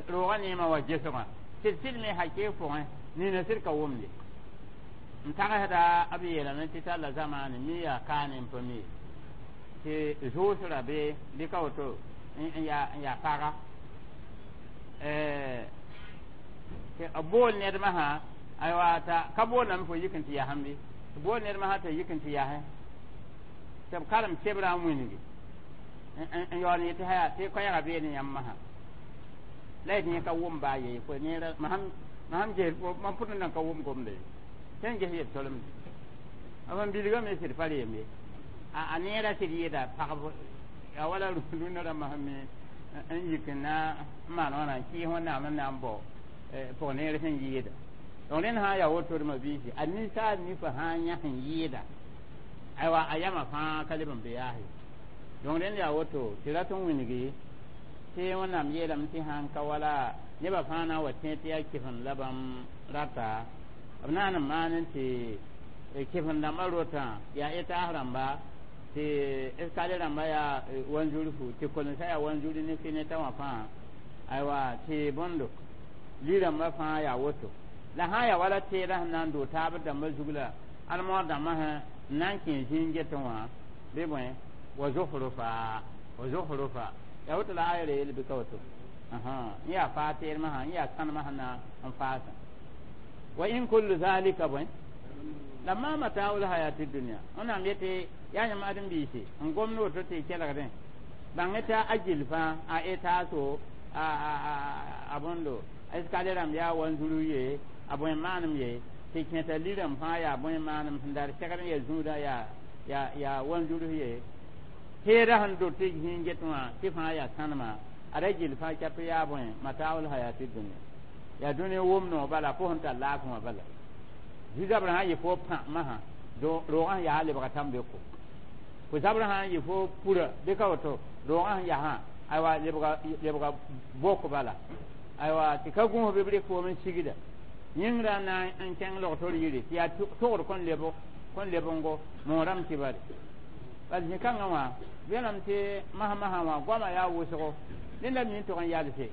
roogã neema wa gesgã sɩd sɩd me hakee pʋgẽ nina sɩd ka wʋmd ye n tagsda b yeelame tɩ talla zamaane mi yaa kaane n pa mi tɩ zʋʋsrã be bɩ ka woto n yaa paga tɩ b bool ned masã Aywa t'a ka boolame fo yik n tɩ yasem bɩ tɩ bool ned masã t'a yik n tɩ yasẽ tɩ b karem sebrã n wilgi n yaool n yetɩ haya tɩ koɛɛgã bee ne yãmb masã la yetɩ yẽ ka wʋm baa ye fo neera mam sãn ges mam pʋd n ka wʋm gomda ye sẽn ges yel tolemde b n bilgame sɩd pa reem ye a neera sɩd yɩɩda pagb a wala rũnã rãmbã sẽn me n yik n na n maan wãna n kɩɩs wẽnnaam n na n bao pʋg neer sẽn yɩɩda donc rẽnd sã n yaa woto d mabiisi a ninsaal nifã sã n yãs n yɩɩda aywa a yamã fãa ka leb n be yaas ye donc rẽnd yaa woto tɩ rat n wilgi tɩ wẽnnaam yeelame tɩ sãn ka wala nebã fãa na n wa tẽ tɩ yaa kɩsem la bãmb rata b naan n maan n tɩ kɩsem dãmbã rotã yaa etaas rãmba tɩ eskale rãmba yaa wanzurfu tɩ kolensã yaa wanzuri ne fɩ ne ta wã fãa aywa tɩ bõndo li-rãmbã fãa yaa woto la sã n yaa wala teedã sẽn na n doog taab dãmbã zug la almoor dãmbã sẽn n na n kẽ zĩig getẽ wã bɩ bõe wa zukhrufa wa zukhrufa yaa woto la aya ra yel bɩ ka woto n yaa faa teedmã sã n yaa sãnemã sẽn na n faasã wa in kullu zalika bõe lamma mata'ul hayati dunya wẽnnaam yetɩ yaa yãmb ãdem-biisi n gomd woto tɩ y kelgdẽ bãng t'a a gill fãa a etaaso a bõndo eskale rãmb yaa wanzuru ye a bõe maanem ye tɩ kẽta li-rãmb fãa yaa bõe maanem sẽn dar segd n ya zũudã yaa yaa yaa wanzurus ye teedã sẽn dot tɩ zĩig get wã tɩ fãa yaa sãnema a ra gill fãa cap yaa bõe mata'ul hayati dunya yaa dũni wʋm noog bala fo sẽn tar laafẽ wã bala zu-zabrã sã n yɩ fo pã masã roogã sẽn yaa lebga tãn-beko fo zabrã sã n yɩ fo pura bɩ ka woto roogã sẽn yasã aywa lebga lebga bok bala aywa tɩ ka gũus bɩ b rɩk foom n sigda yĩngrã na n kẽng log-tor yiri tɩ yaa togd kõn leb kõn lebngo moorame tɩ bare bal zĩ-kãngã wã belame tɩ masã-masã wã goamã yaa wʋsgo ned mi n tog n yalse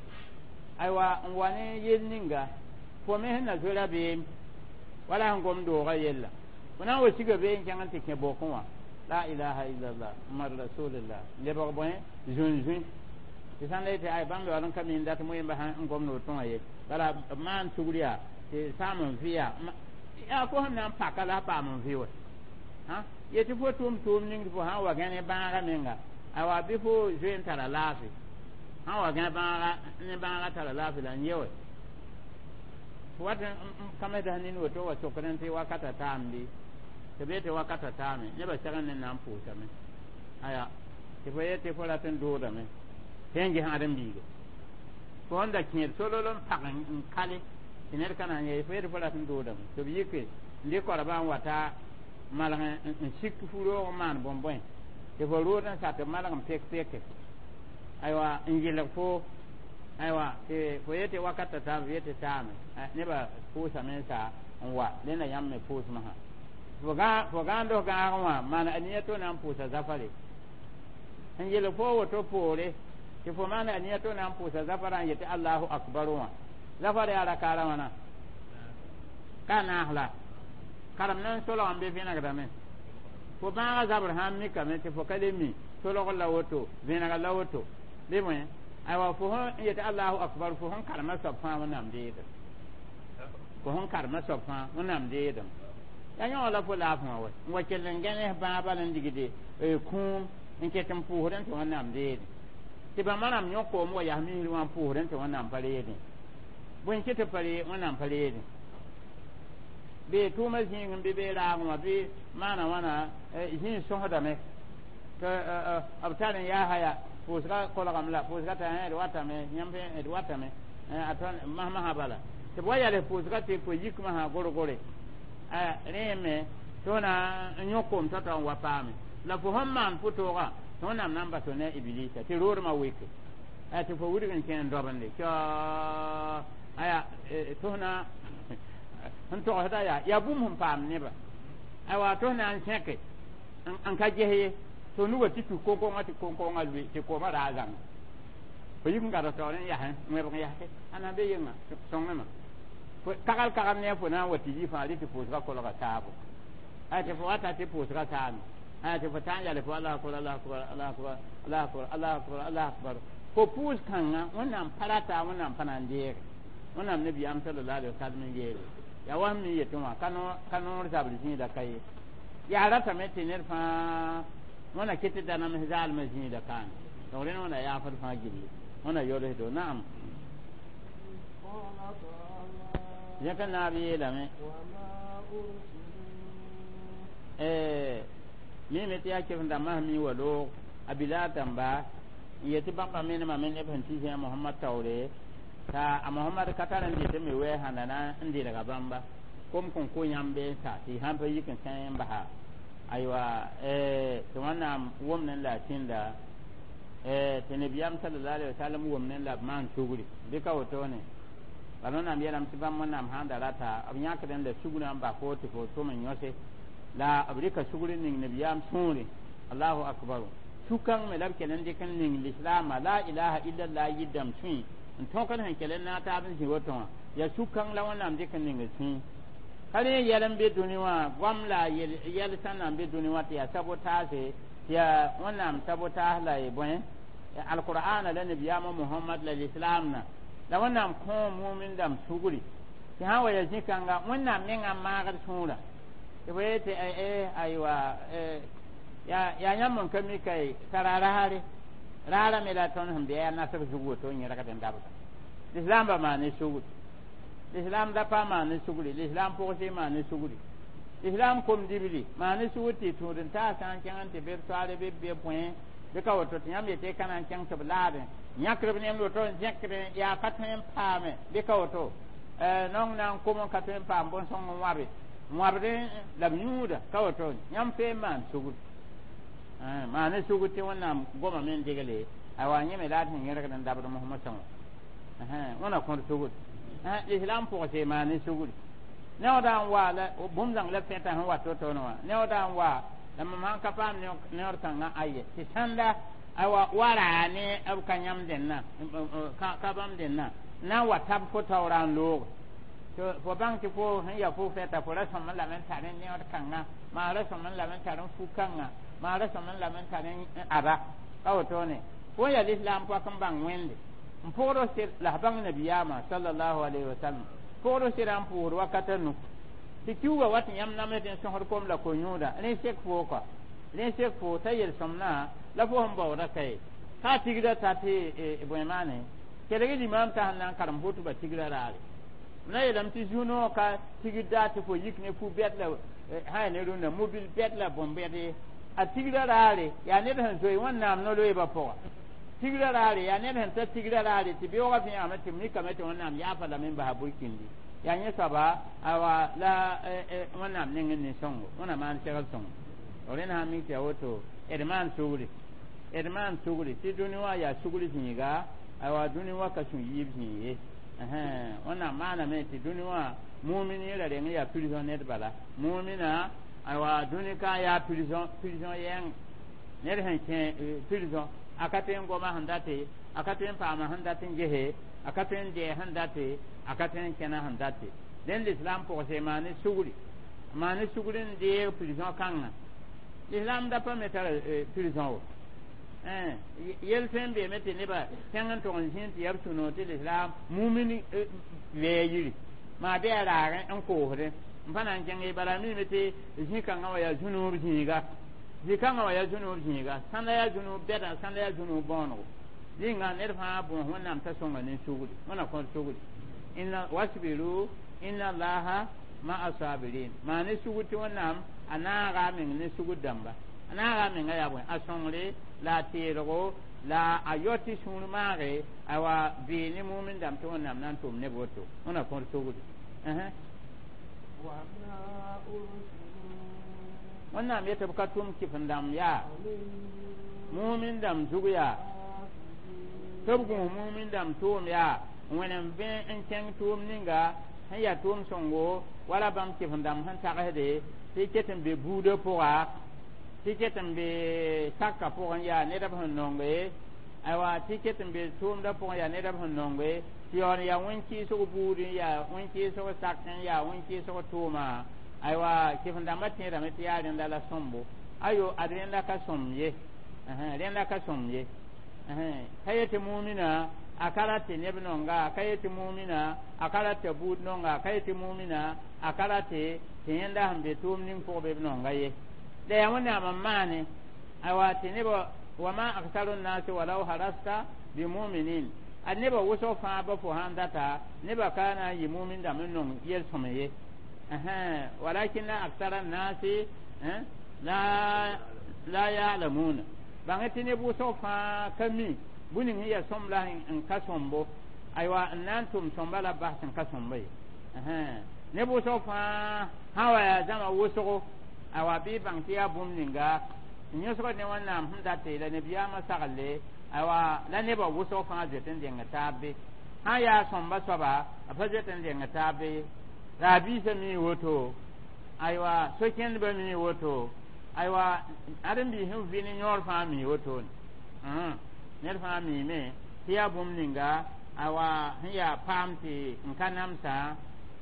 aywa n wa ne yel ninga fo me sẽn na zoe rabeem wala sẽn gom doogã yella fo na n wa siga bee n kẽng n tɩ kẽ bokẽ wã la ilaha illallah muhammad rasulillah lebg bõe zũn-zũi tɩ sãn la yetɩ ay bãmb yaool n ka mi n dat moẽmba sã n gomd woto wã ye bala b maan sugr yaa tɩ saam n vɩ yaa yaa fo sẽn na n paka la a paam n vɩ wa yetɩ fo tʋʋm tʋʋm ning tɩ fo sã n wa gã ne bãagã menga awa bɩ fo zoe n tara laafɩ sã n wa gã bãaga ne bãaga tara laafɩ la n ye wa fo wat n kamsda nin woto wa sokdẽ tɩ wakata taam bɩ tɩ b yetɩ wakata taame nebã segd ne na n pʋʋsame aya tɩ fo yetɩ fo rat n doodame tɩ n ges ãdem-biiga fo sẽn da kẽed solol n pag n kale tɩ ned ka na n ye fo yetɩ fo rat n doodame tɩ b yike n dɩ koabã n wata malg n sik fu-roog n maan bõn-bõe tɩ fo rood n sa tɩ malg n pek peke aywa n yɩlg fo aywa tɩ fo yetɩ wakata taam f yetɩ taame nebã pʋʋsame n sa n wa rẽnda yãmb me pʋʋsmã fo gãand f gãagẽ wã maan a nia to na n pʋʋsa zafare n yelg fo woto poore tɩ fo maan a nia to na n pʋʋsa zafarã n yetɩ allahu akbar wã zafar yaa rakaara wãna ka naas la karem na n solg n be vẽnegdame fo bãagã zabr sã n mikame tɩ fo ka le mi solgr la woto vẽnegr la woto bɩ bõe aywa fo sẽn yetɩ allahu akbar fo sẽn karema soab fãa wẽnnaam deedem fo sẽn karema soab fãa wẽnnaam deedem yaa yõ la fo laafẽ wã wa n wa kell n gãnes bãag bal n digde kũum n ket n pʋʋsdẽ tɩ wẽnnaam deedẽ tɩ bãmba rãmb yõk-koom wa yas misr wã n pʋʋsdẽ tɩ wẽnnaam pa reedẽ bõe n ket pa ree wẽnnaam pa reedẽ bee tʋʋmã zĩig n bɩ bee raagẽ wã bɩ maana wãna zĩig sõsdame tɩ b tar n yaa haya pʋʋsga kolgame la pʋʋsga t'a d watame yãmb d watame a tõn masmasã bala tɩ b wa yals pʋʋsga tɩ fo yik masã gor-gore rẽ me tɩ na n yõk koom tao-tao n wa paame la fo sẽn maan pʋ-toogã tɩ wẽnnaam na n bas ne ibilisa tɩ roodmã weke tɩ fo wilg n kẽ n dobende aya tɩ na sẽn togsda yaa yaa bũmb sẽn paam nebã aywa tɩ na n sẽke n ka ges ye tɩ nuga tɩ tus koŋkoŋã tɩ koŋkoŋã lʋɩ tɩ koomã raa zãnga fo yik n gad taoor n yasẽ wẽbg n yaske ãna be yenga sõngema kagal kagal ne fo na n wa tɩ yi fãa rɩ tɩ pʋʋsga kolga taabo aya tɩ fo wata tɩ pʋʋsga saame aya tɩ fo taa n yale fo allah akbar allah akbar allah akbar allah akbar allah akbar allah akbar fo pʋʋs kãngã wẽnnaam pa rata wẽnnaam pa na n deege wẽnnaam nabiyaam sallallahu alaihi wasallam n yeele Ya wa mi yetẽ wã ka noor zabr zĩida ka ye yaa ratame tɩ ned fãa wẽna ket tɩ da nams zaalmã zĩida kaane donc rẽnd wẽna yaafd fãa gilli wẽna yolsdo naam zẽk n naab yeelame mime tɩ yaa kef n dãmbã sẽn mi wa loog a bila dãmba n yetɩ bãmba menemame neb sẽn tɩ zĩ a Mohamad taoore t'a a Mohamad ka tar n dɩt n me wɛɛ sãnda na n dɩlga bãmba kom kõn ko yãmb bee n sa tɩ y sãn pa yik n kẽ n basa aywa tɩ wẽnnaam wʋmdẽ la a tĩnda tɩ nabiyaam sallallahu alaihi wasallam wʋmdẽ la b maan sugri bɩ ka wotone bala wẽnnaam yeelame tɩ bãmb wẽnnaam sãn da rata b yãkdẽ la sugrã n bas fo tɩ fo tʋm n yõse la b rɩka sugr n ning nabiyaam sũure allahu akbar sũ-kãng me la b kell n dɩk n ning lislaamã la ilaha illallah yɩ-dãmb sũy n tõkd sẽn kell n naag taab n zĩ woto wã yaa sũ-kãng la wẽnnaam dɩk n ning sũy ka rẽ yɛl n be dũni wã goam la yɛl sã na n be dũni wã tɩ yaa sabotaase tɩ yaa wẽnnaam sabotaas la y bõe alqur'ana la nabiyaamã Mohamad la lislaamna la wẽnnaam kõ mumin dãmb sugri tɩ sã n wa yaa zĩ-kãnga wẽnnaam mengã maagd sũurã tɩ fo yetɩ aywa yaa yãmb n ka mi ka tara raare raara me la tõnd sẽn be yaa nasg zug woto n yẽrgd n dabda lislaambã maan ne sugri l'islam da pa maan ne sugri l'islam pʋgse maan ne sugri l'islam kom dibli maan ne sugr tɩ tũud n taas sã n kẽng n tɩ be b soaale be b be bõe bɩ ka woto tɩ yãmb yetɩ ka na n kẽng tɩ b laadẽ yãkd b nemd woto n zẽkd yaa ka tõe n paame bɩ ka woto nong na n kom n ka tõe n paam bõn-sõng n wãbe wãbdẽ la b yũuda ka woto yãmb fee n maan sugr maan ne sugr tɩ wẽnnaam goma me n degle awa yẽ me la d sẽn yẽrgd n dabd mosmosã wã wẽna kõd sugr l'islam pʋgse maan ne sugri neooda n wa la bũmb zãng la fẽta sẽn wat to-to wã neooda n wa la mam sãn ka paam neoor kãngã aye tɩ sãnda awa wa raa ne b ka yãmb dẽnna ka bãmb dẽnna na n wa tab fo taoora n loog fo bãng tɩ fo sẽn ya fo fɛta fo ra sõm n lame n tar neood kãngã maa ra sõm n lame n tar n fu-kãngã maa ra sõm n lame n tar n aba ka wotone fo n yaa l'islam pɔk n bãng wẽnde n pʋgd la f bãng nabiyaamã sallallahu alaihi wasallam pʋgd sɩda n pʋʋsd wakata nu tɩ kiuugã wat yãmb namsd n sõsd kom la ko-yũuda rẽ sek foo kɔa rẽ sek foo t'a yel-sõmnã la fo sẽn baooda ka ye ka tigrã ta tɩ bõe maane kelg limaam t'a sẽn na n karem hʋtba tigrã raare na yeelame tɩ zu-noog ka tigr daa tɩ fo yik ne fu-bɛd la sã ya ne rũndã mobil bɛd la bõn-bɛd ye a tigrã raare yaa ned sẽn zoe wẽnnaam no-loeebã pʋga tigrã raare yaa ned sẽn ta tigrã raare tɩ beoogã vẽagame tɩ mikame tɩ wẽnnaam yaafa lame n basa burkindi yaa yẽ soaba awa la wẽnnaam nengẽ nin-sõngo wẽna maan segl sõngo rẽnd sã n mik tɩ yaa woto d maan sugri d maan sugri tɩ dũni wã yaa sugr zĩiga awa dũni wã ka sũ yiib zĩig ye wẽnnaam maaname tɩ dũni wã mumin yẽla reng yaa prison ned bala mumina awa dũni ka yaa prison prison yɛng ned sẽn kẽ prison a ka tõe n goma sẽn date a ka tõe n paama sẽn dat n gese a ka tõe n dɛɛ sẽn date a ka tõe n kẽna sẽn date dẽnd l'islam pʋgse maan ne sugri maan ne sugri n deeg prison kãngã l'islam da pa me tara prison wo yel tõe n beeme tɩ nebã kẽng n tog n zĩnd tɩ yaa b sũ-noog tɩ l'islam mumin wɛɛ yiri maa bɩ a raagẽ n koosdẽ n pa na n kẽng ye bala mime tɩ zĩ-kãngã wã yaa zu-noob zĩiga zĩ-kãngã wã yaa zu-noob zĩiga sãnda yaa zu-noob bɛda sãnda yaa zu-noob bõonego zĩnga ned fãa bõos wẽnnaam t'a sõnga ne sugri wẽna kõt sugri inna wasbiru inna allaha ma'a sabirin maa ne sugr tɩ wẽnnaam a naaga a meng ne sugr dãmba a naaga a menga yaa bõe a sõngre la a teelgo la a yao tɩ sũur maage awa bee ne mumin dãmb tɩ wẽnnaam na n tʋm neb woto wẽna kõt sugri wẽnnaam yetɩ b ka tʋm kɩf n dãmb yaa mumin dãmb zug yaa tɩ b gũus mumin dãmb tʋʋm yaa wẽnem vẽ n kẽng tʋʋm ninga sẽn yaa tʋʋm sõngo wala bãmb kɩf n dãmb sẽn tagsde tɩ ket n be buudã pʋga tɩ ket n be saka pʋgẽ yaa ned b sẽn nonge aywa tɩ ket n be tʋʋmdã pʋgẽ yaa ned b sẽn nonge tɩ yaool n yaa wẽn-kɩɩsg buud n yaa wẽn-kɩɩsg sak n yaa wẽn-kɩɩsg tʋʋma aywa kɩf n dãmbã tẽedame tɩ yaa rẽnda la sõmbo ayo ad rẽnda ka sõm ye rẽnda ka sõm ye ka yetɩ mumina A ka rat tɩ neb nonga, a ka yet tɩ mumina, a ka rat t'a buud nonga, a ka yet tɩ mumina, a ka rat tɩ tɩ yẽnda sẽn be tʋʋm ning pʋg bɩ b nonga ye. La yaa Wẽnnaam n maane aywa tɩ nebã wama aksaru nnasi walau harasta bimuminin. A nebã wʋsg fãa ba fo sãn data nebã ka na n yɩ mumin dãmb n nong yel-sõm ye, walakinna aksara nnasi la la yalamuna. Bãng tɩ neb wʋsg fãa ka mi bũmb ning sẽn yaa sõm la n ka sõmbo, aywa n na n tʋm sõmba la bas n ka sõmba ye. Neb wʋsg fãa sã wa yaa zãma wʋsgo, aywa bɩ bãng tɩ yaa bũmb ninga n yõsgd ne Wẽnnaam sẽn date la nabiyaamã saglle, aywa la nebã wʋsg fãa zoet n deng taab be. Sã n yaa sõmba soaba, a pa zoet n deng taab be. La a biisã mi woto, aywa so-kẽndbã mi woto, aywa ãdem-biis sẽn vɩ ne yõor fãa mi wotone. Ned fãa miime tɩ yaa bũmb ninga aywa sẽn yaa paam tɩ n ka namsã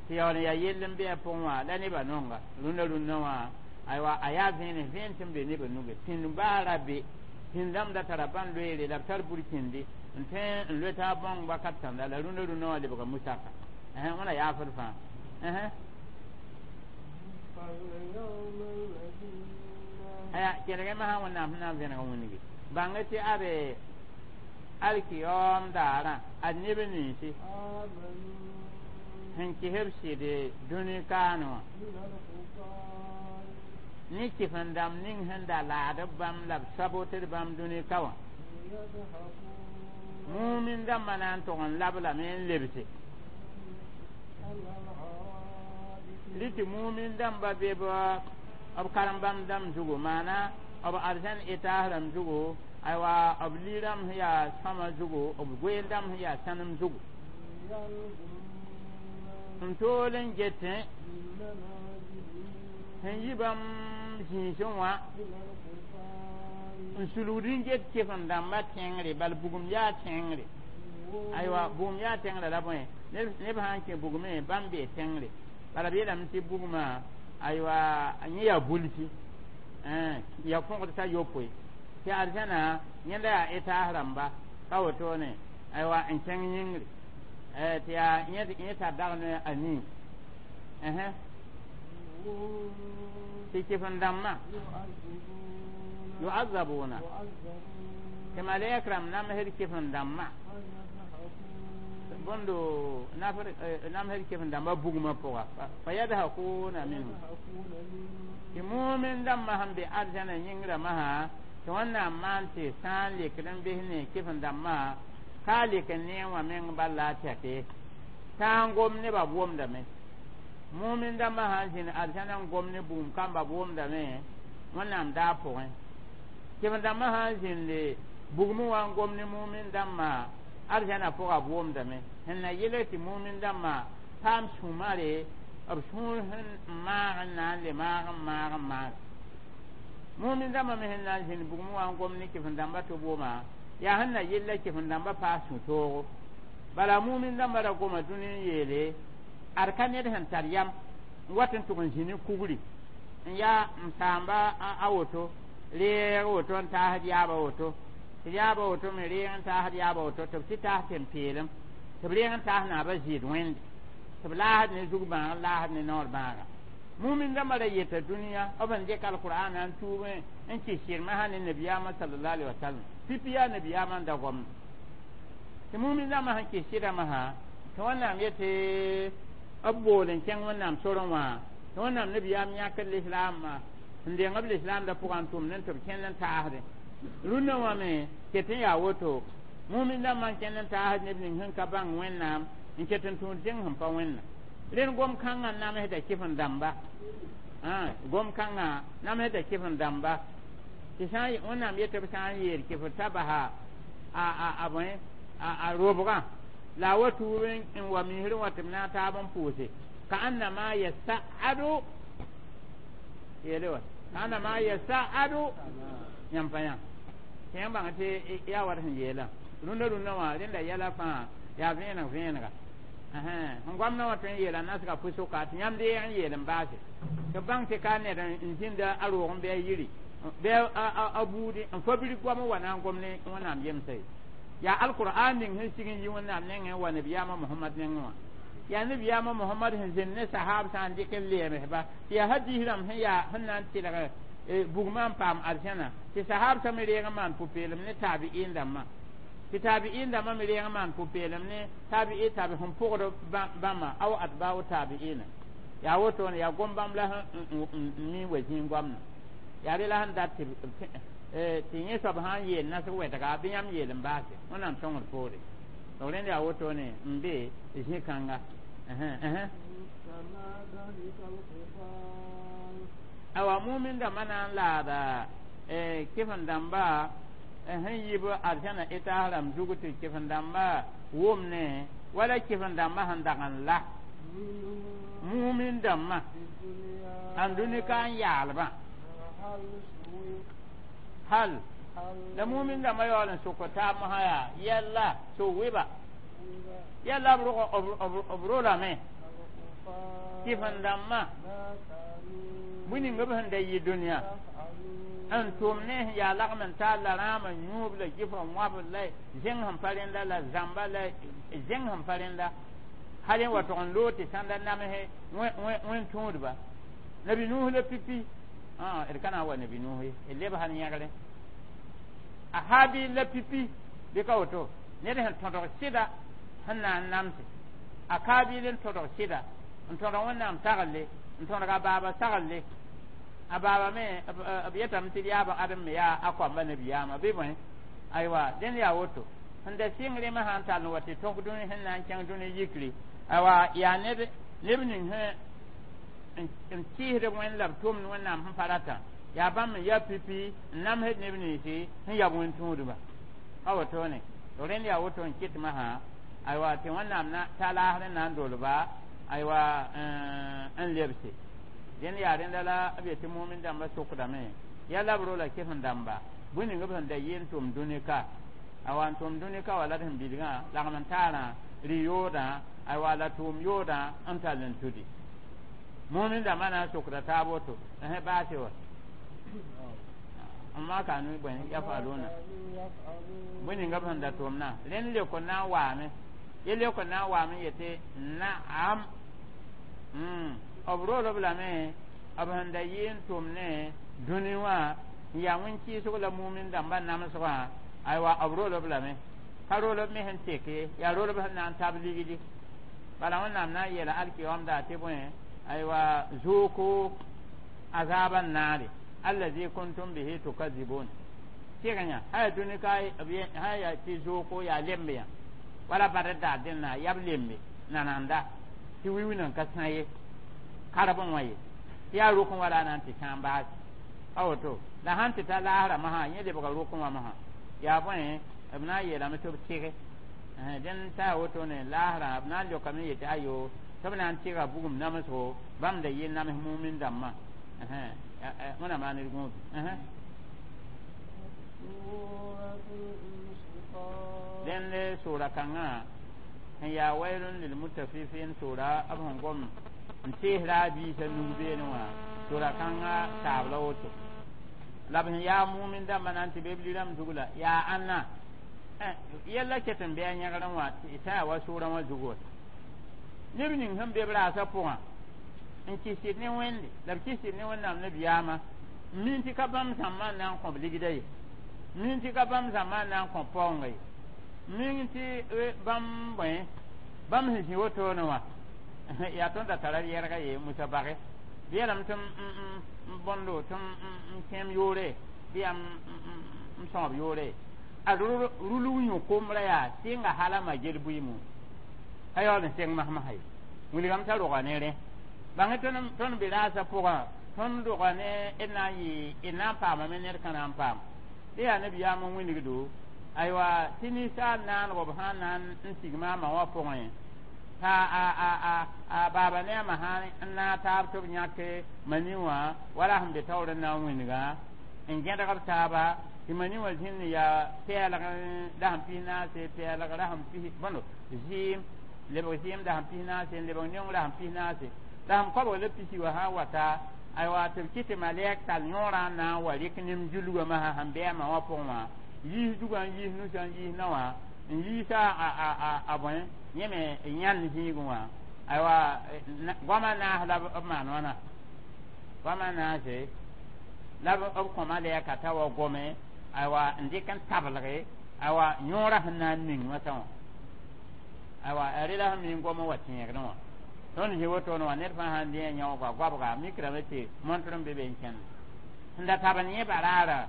tɩ yaool n yaa yell n bɩ a pʋgẽ wã la nebã nonga rũndã rũndã wã, aywa a yaa vẽenem vẽen sẽn be nebã nuge pĩnd baara be pĩnd dãmb da tara bãn loeere la b tar burkĩndi n tõe n loe taab bãong wakat sãnda la rũndã rũndã wã lebga musaka wẽna yaafd fãa. Aya kelg masã Wẽnnaam sẽn na n vẽneg n wĩngi bãng tɩ abe alkiyoom daarã ad neb ninsi sẽn kɩs b sɩd dũni kaane wã ne kɩf-n dãmb ning sẽn da laad b bãmb la b sabotd bãmb dũni ka wã mumin dãmbã na n tog n lab lame n lebse rɩ tɩ mumin dãmba be b karen-bãmb dãmb zugu, maana b arzãn etaas rãmb zugu, aywa b li-rãmb sẽn yaa sõma zugu, b goeen dãmb sẽn yaa sãnem zugu n tool n getẽ sẽn yi bãmb zĩisẽ wã n sulgd n get kɩf-n dãmbã tẽngre bal bugum yaa tẽngre. Aywa bugum yaa tẽngrã la bõe neb sã n kẽ bugmẽ bãmb bee tẽngre bala b yeelame tɩ bugmã aywa yẽ yaa bulsi ya fõgd t'a yopoe tɩ arzãna yẽnda yaa etaas rãmba ka wotone aywa n kẽng yĩngre tɩ yaa yẽ tar dag ne a nii tɩ kɩf-n dãmbã yu'azzabuna tɩ malɛk rãmb namsd kɩf-n dãmbã bõndo namsd kɩf-n dãmbã bugmã pʋga fa yadhakuna minhu tɩ mumin dãmbã sẽn be arzãna yĩngrã masã tɩ Wẽnnaam maan tɩ sã n lekd n bes ne kɩf-n dãmbã ka lek n neẽ wã meng bal la a tɛke tã n gom nebã b wʋmdame. Mumin dãmbã sã n zĩnd arzãna n gom ne bugum kamba b wʋmdame Wẽnnaam daa pʋgẽ. Kɩf-n dãmbã sã n zĩnde bugmẽ wã n gom ne mumin dãmbã arzãna pʋga b wʋmdame sẽn na yelg tɩ mumin dãmbã paam sũ-mare b sũur sẽn maag n na n le maag n maag n maag. Mumin dãmbã me sẽn na n zĩnd bugmẽ wã n gom ne kɩf-n dãmbã tɩ b wʋma yaa sẽn na yella kɩf-n dãmbã paas sũ-toogo. Bala mumin dãmbã ra goma dũni n yeele ad ka ned sẽn tar yam n wat n tʋg n zĩ ne kugri n yaa m saamba a woto reeg woto n taasd yaaba woto tɩ yaaba woto me reeg n taasd yaaba woto tɩ b tɩ taas tẽn-peelem tɩ b reeg n taas naabã zɩɩd wẽnde tɩ b laasd ne zug-bãag laasd ne naoor bãaga. Mumin dãmbã ra yeta dũniyã b sẽn dɩk alqur'ana n tuubẽ n kɩs sɩrmã ne nabiyaamã sallallahu alaihi wasallam pipi yaa nabiyaamã n da gomda tɩ mumin dãmbã sẽn kɩs sɩdã masã tɩ Wẽnnaam yetɩ b bool n kẽng Wẽnnaam sorẽ wã tɩ Wẽnnaam nabiyaam yãkd lislaamã n deng b lislaamdã pʋgã n tʋmd n tɩ b kẽnd n taasdẽ rũndã wã me ket n yaa woto mumin dãmbã n kẽnd n taasd neb ning sẽn ka bãng Wẽnnaam n ket n tũud zẽng sẽn pa wẽnna rẽnd gom kãngã namsda kɩf-n dãmba gom kãngã namsda kɩf-n dãmba tɩ sã Wẽnnaam yetɩ b sã n yeel kɩf t'a basa a bõe a robgã la a wa tuub n wa misrẽ wã tɩ b na n taab n pʋʋse ka annama yasa'adu yeele wa ka annama yasa'adu yãmb pa yã tɩ yãmb bãng tɩ yaa wat sẽn yeelã rũndã rũndã wã rẽnda yɛla fãa yaa vẽeneg vẽenega sẽn goamdã wã tõe n yeela nasga pʋ-sʋka tɩ yãmb deeg n yeel n baase tɩ b bãng tɩ ka ned n zĩnda a roog n bɩ a yiri bɩ a buudi n fa bir goam n wa na n gom ne Wẽnnaam yemsa ye. Yaa alqur'an ning sẽn sig n yi Wẽnnaam nengẽ wa nabiyaamã Mohamad nengẽ wã yaa nabiyaamã Mohamad sẽn zẽnd ne sahab sã n dɩk n leemsba tɩ yaa hadiis rãmb sẽn yaa sẽn na n tɩlg bugmã n paam arzẽna tɩ sahab sã me reeg n maan pʋ-peelem ne taabi'in dãmbã tɩ taabi'in dãmbã me reeg n maan pʋ-peelem ne taabi'i taabi sẽn pʋgd bãmba aw atba'u taabi'ina yaa wotone yaa gom-bãmb la n mi wa zĩig goamna yaa re la sẽn dat tɩ tɩ yẽ soab sã n yeel nasg wɛdga bɩ yãmb yeel n baase Wẽnnaam sõngd poore donc rẽnd yaa wotone n be zĩ-kãnga awa mumin dãmbã na n laada kɩfen dãmba sẽn yib arzãna etaas rãmb zug tɩ kɩfen dãmba wʋmne wala kɩfen dãmbã sẽn dag n la mumin dãmbã ãn dũni ka n yaalbã hal la mumin dãmbã yaool n sʋk taab mosã yaa yɛlla so-wɩba yɛlla b rolame kɩfen dãmbã bũmb ning b sẽn da yɩ dũniyã n tʋm ne sẽn yaa lagm n taar la rãam n yũub la gɩf n wãb la zẽng sẽn pa rẽnda la zãmba la zẽng sẽn pa rẽnda hal n wa tog n loog tɩ sãnda namse wẽn tũudba nabi Nuh la pipi d ka na n wa nabi Nuh ye d leb sal yẽgre a Habil la pipi bɩ ka woto ned sẽn tõdg sɩda sẽn na n namse a Kabil n tõdg sɩda n tõdg Wẽnnaam tagle n tõdg a baaba saglle a baaba me b yetame tɩ d yaaba Adem me yaa a koamba nabiyaamã bɩ bõe aywa dẽnd yaa woto sẽn da sɩng rẽmã sã n tall n wa tɩ tõk dũni sẽn na n kẽng dũni yikri aywa yaa ned neb ning sẽn n kɩɩsd wẽnd la b tʋmd Wẽnnaam sẽn pa ratã yaa bãmb n yaa pipi n namsd neb ninsi sẽn yab wẽn-tũudba a wotone rẽnd yaa woto n kɩt masã aywa tɩ Wẽnnaam ta laasr n na n dolba aywa n lebse dẽnd yaa rẽnda la b yetɩ mumin dãmbã sʋkdame yaa la b rola kɩfen dãmba bũmb ning b sẽn da yɩ n tʋm dũni ka awa n tʋm dũni ka wa la d sẽn bilgã lagm n taarã rɩ-yoodã aywa la tʋʋm yoodã n tall n tudi mumin dãmbã na n sʋkda taab woto baase wa ma kanu bõe yafaluna bũmb ninga b sẽn da tʋmna rẽnd leok n na n waame ye leok n na n waame yetɩ naam b rool-b lame b sẽn da yɩ n tʋm ne dũni wã n yaa wẽn-kɩɩsg la mumin dãmbã namsgã aywa b rool-b lame ka rool-b me sẽn tek ye yaa rool-b sẽn na n tab ligdi bala Wẽnnaam na n yeela alkiyomda tɩ bõe aywa zuuku azaba naare allazi kuntum bihi tukazibun tɩg yã sã yaa dũni ka sã yaa tɩ zooko yaa lembe yã wala bad daar dẽnna yab lembe nananda tɩ wi-wĩnã ka sã ye karb n wã ye tɩ yaa rʋk wala a na n tɩ sã n baase a woto la sãn tɩ ta laasra masã yẽ lebga rʋk wã masã yaa bõe b na n yeelame tɩ b tɩge dẽnd t'a yaa wotone laasrã b na n leokame yetɩ ayo tɩ b na n tɩga bugum namsgo bãmb da yɩ nams mumin dãmbã Wẽnnaam maan d gũud dẽnd sʋʋra kãngã sẽn yaa wailun lilmutafifin sʋʋra b sẽn gom n teesra a biisã nug beene wã sʋʋra kãngã saab la woto la b sẽn yaa mumin dãmbã na n tɩ be b lirãmb zug la yaa ãnna yɛlla ket n bɩ a yẽgrẽ wã tɩ sã yaa wa sʋʋrã wã zug wa neb ning sẽn be b raasã pʋgã n kɩsd ne Wẽnde la b kɩsd ne Wẽnnaam nabiyaamã min tɩ ka bãmb zãmbã n na n kõ b ligda ye min tɩ ka bãmb zãmbã n na n kõ paoonga ye min tɩ bãmb bõe bãmb sẽn zĩ wotone wã yaa tõnd da tara yɛrga ye musa bage bɩ yeelame tɩ n bõndo tɩ n kẽem yoore bɩ yaa n sõab yoore a rulg yũ kombrã yaa sɩnga hala ma gel bʋɩɩmo ka yaool n seng masmasã ye wilgame t'a roga ne rẽ bãng tõnd be raasã pʋgã tõnd roga ne d na n yɩ d na n paamame ned ka na n paam tɩ yaa nabiyaam n wilgdo aywa tɩ ninsaal naango b sã n na n sig maamã wã pʋgẽ t'a a a a a baaba ne a ma sã n naag taab tɩ b yãk mani wã wala sẽn be taoor n na n wilgã n gẽdg b taaba tɩ mani wã zĩnd yaa pɛɛlg dasem pis naase pɛɛlg rasem pis bõndo zɩɩm lebg zɩɩm dasem pis naase n lebg neong rasem pis naase la sẽn koabg la pisi wã sã n wata aywa tɩ b kɩ tɩ malɛk tall yõorã n na n wa rɩk nem julgã masã sẽn bɩ a ma wã pʋgẽ wã yiis dugã n yiis nusã n yiis na wã N yiisa a a bõe yẽ me yãnd zĩigẽ wã aywa goamã naas la b maan wãna goamã naase la b kõma lɛɛka t'a wa gome aywa n dɩk n tablge aywa yõorã sẽn na n ning masã wã aywa a rela sẽn mi gom n wa tẽegdẽ wã tõnd zĩ wotone wã ned fãa sãn dẽ a yãoogã goabga mikrame tɩ montr n be be n kẽnd sẽn da tab n yẽ baraarã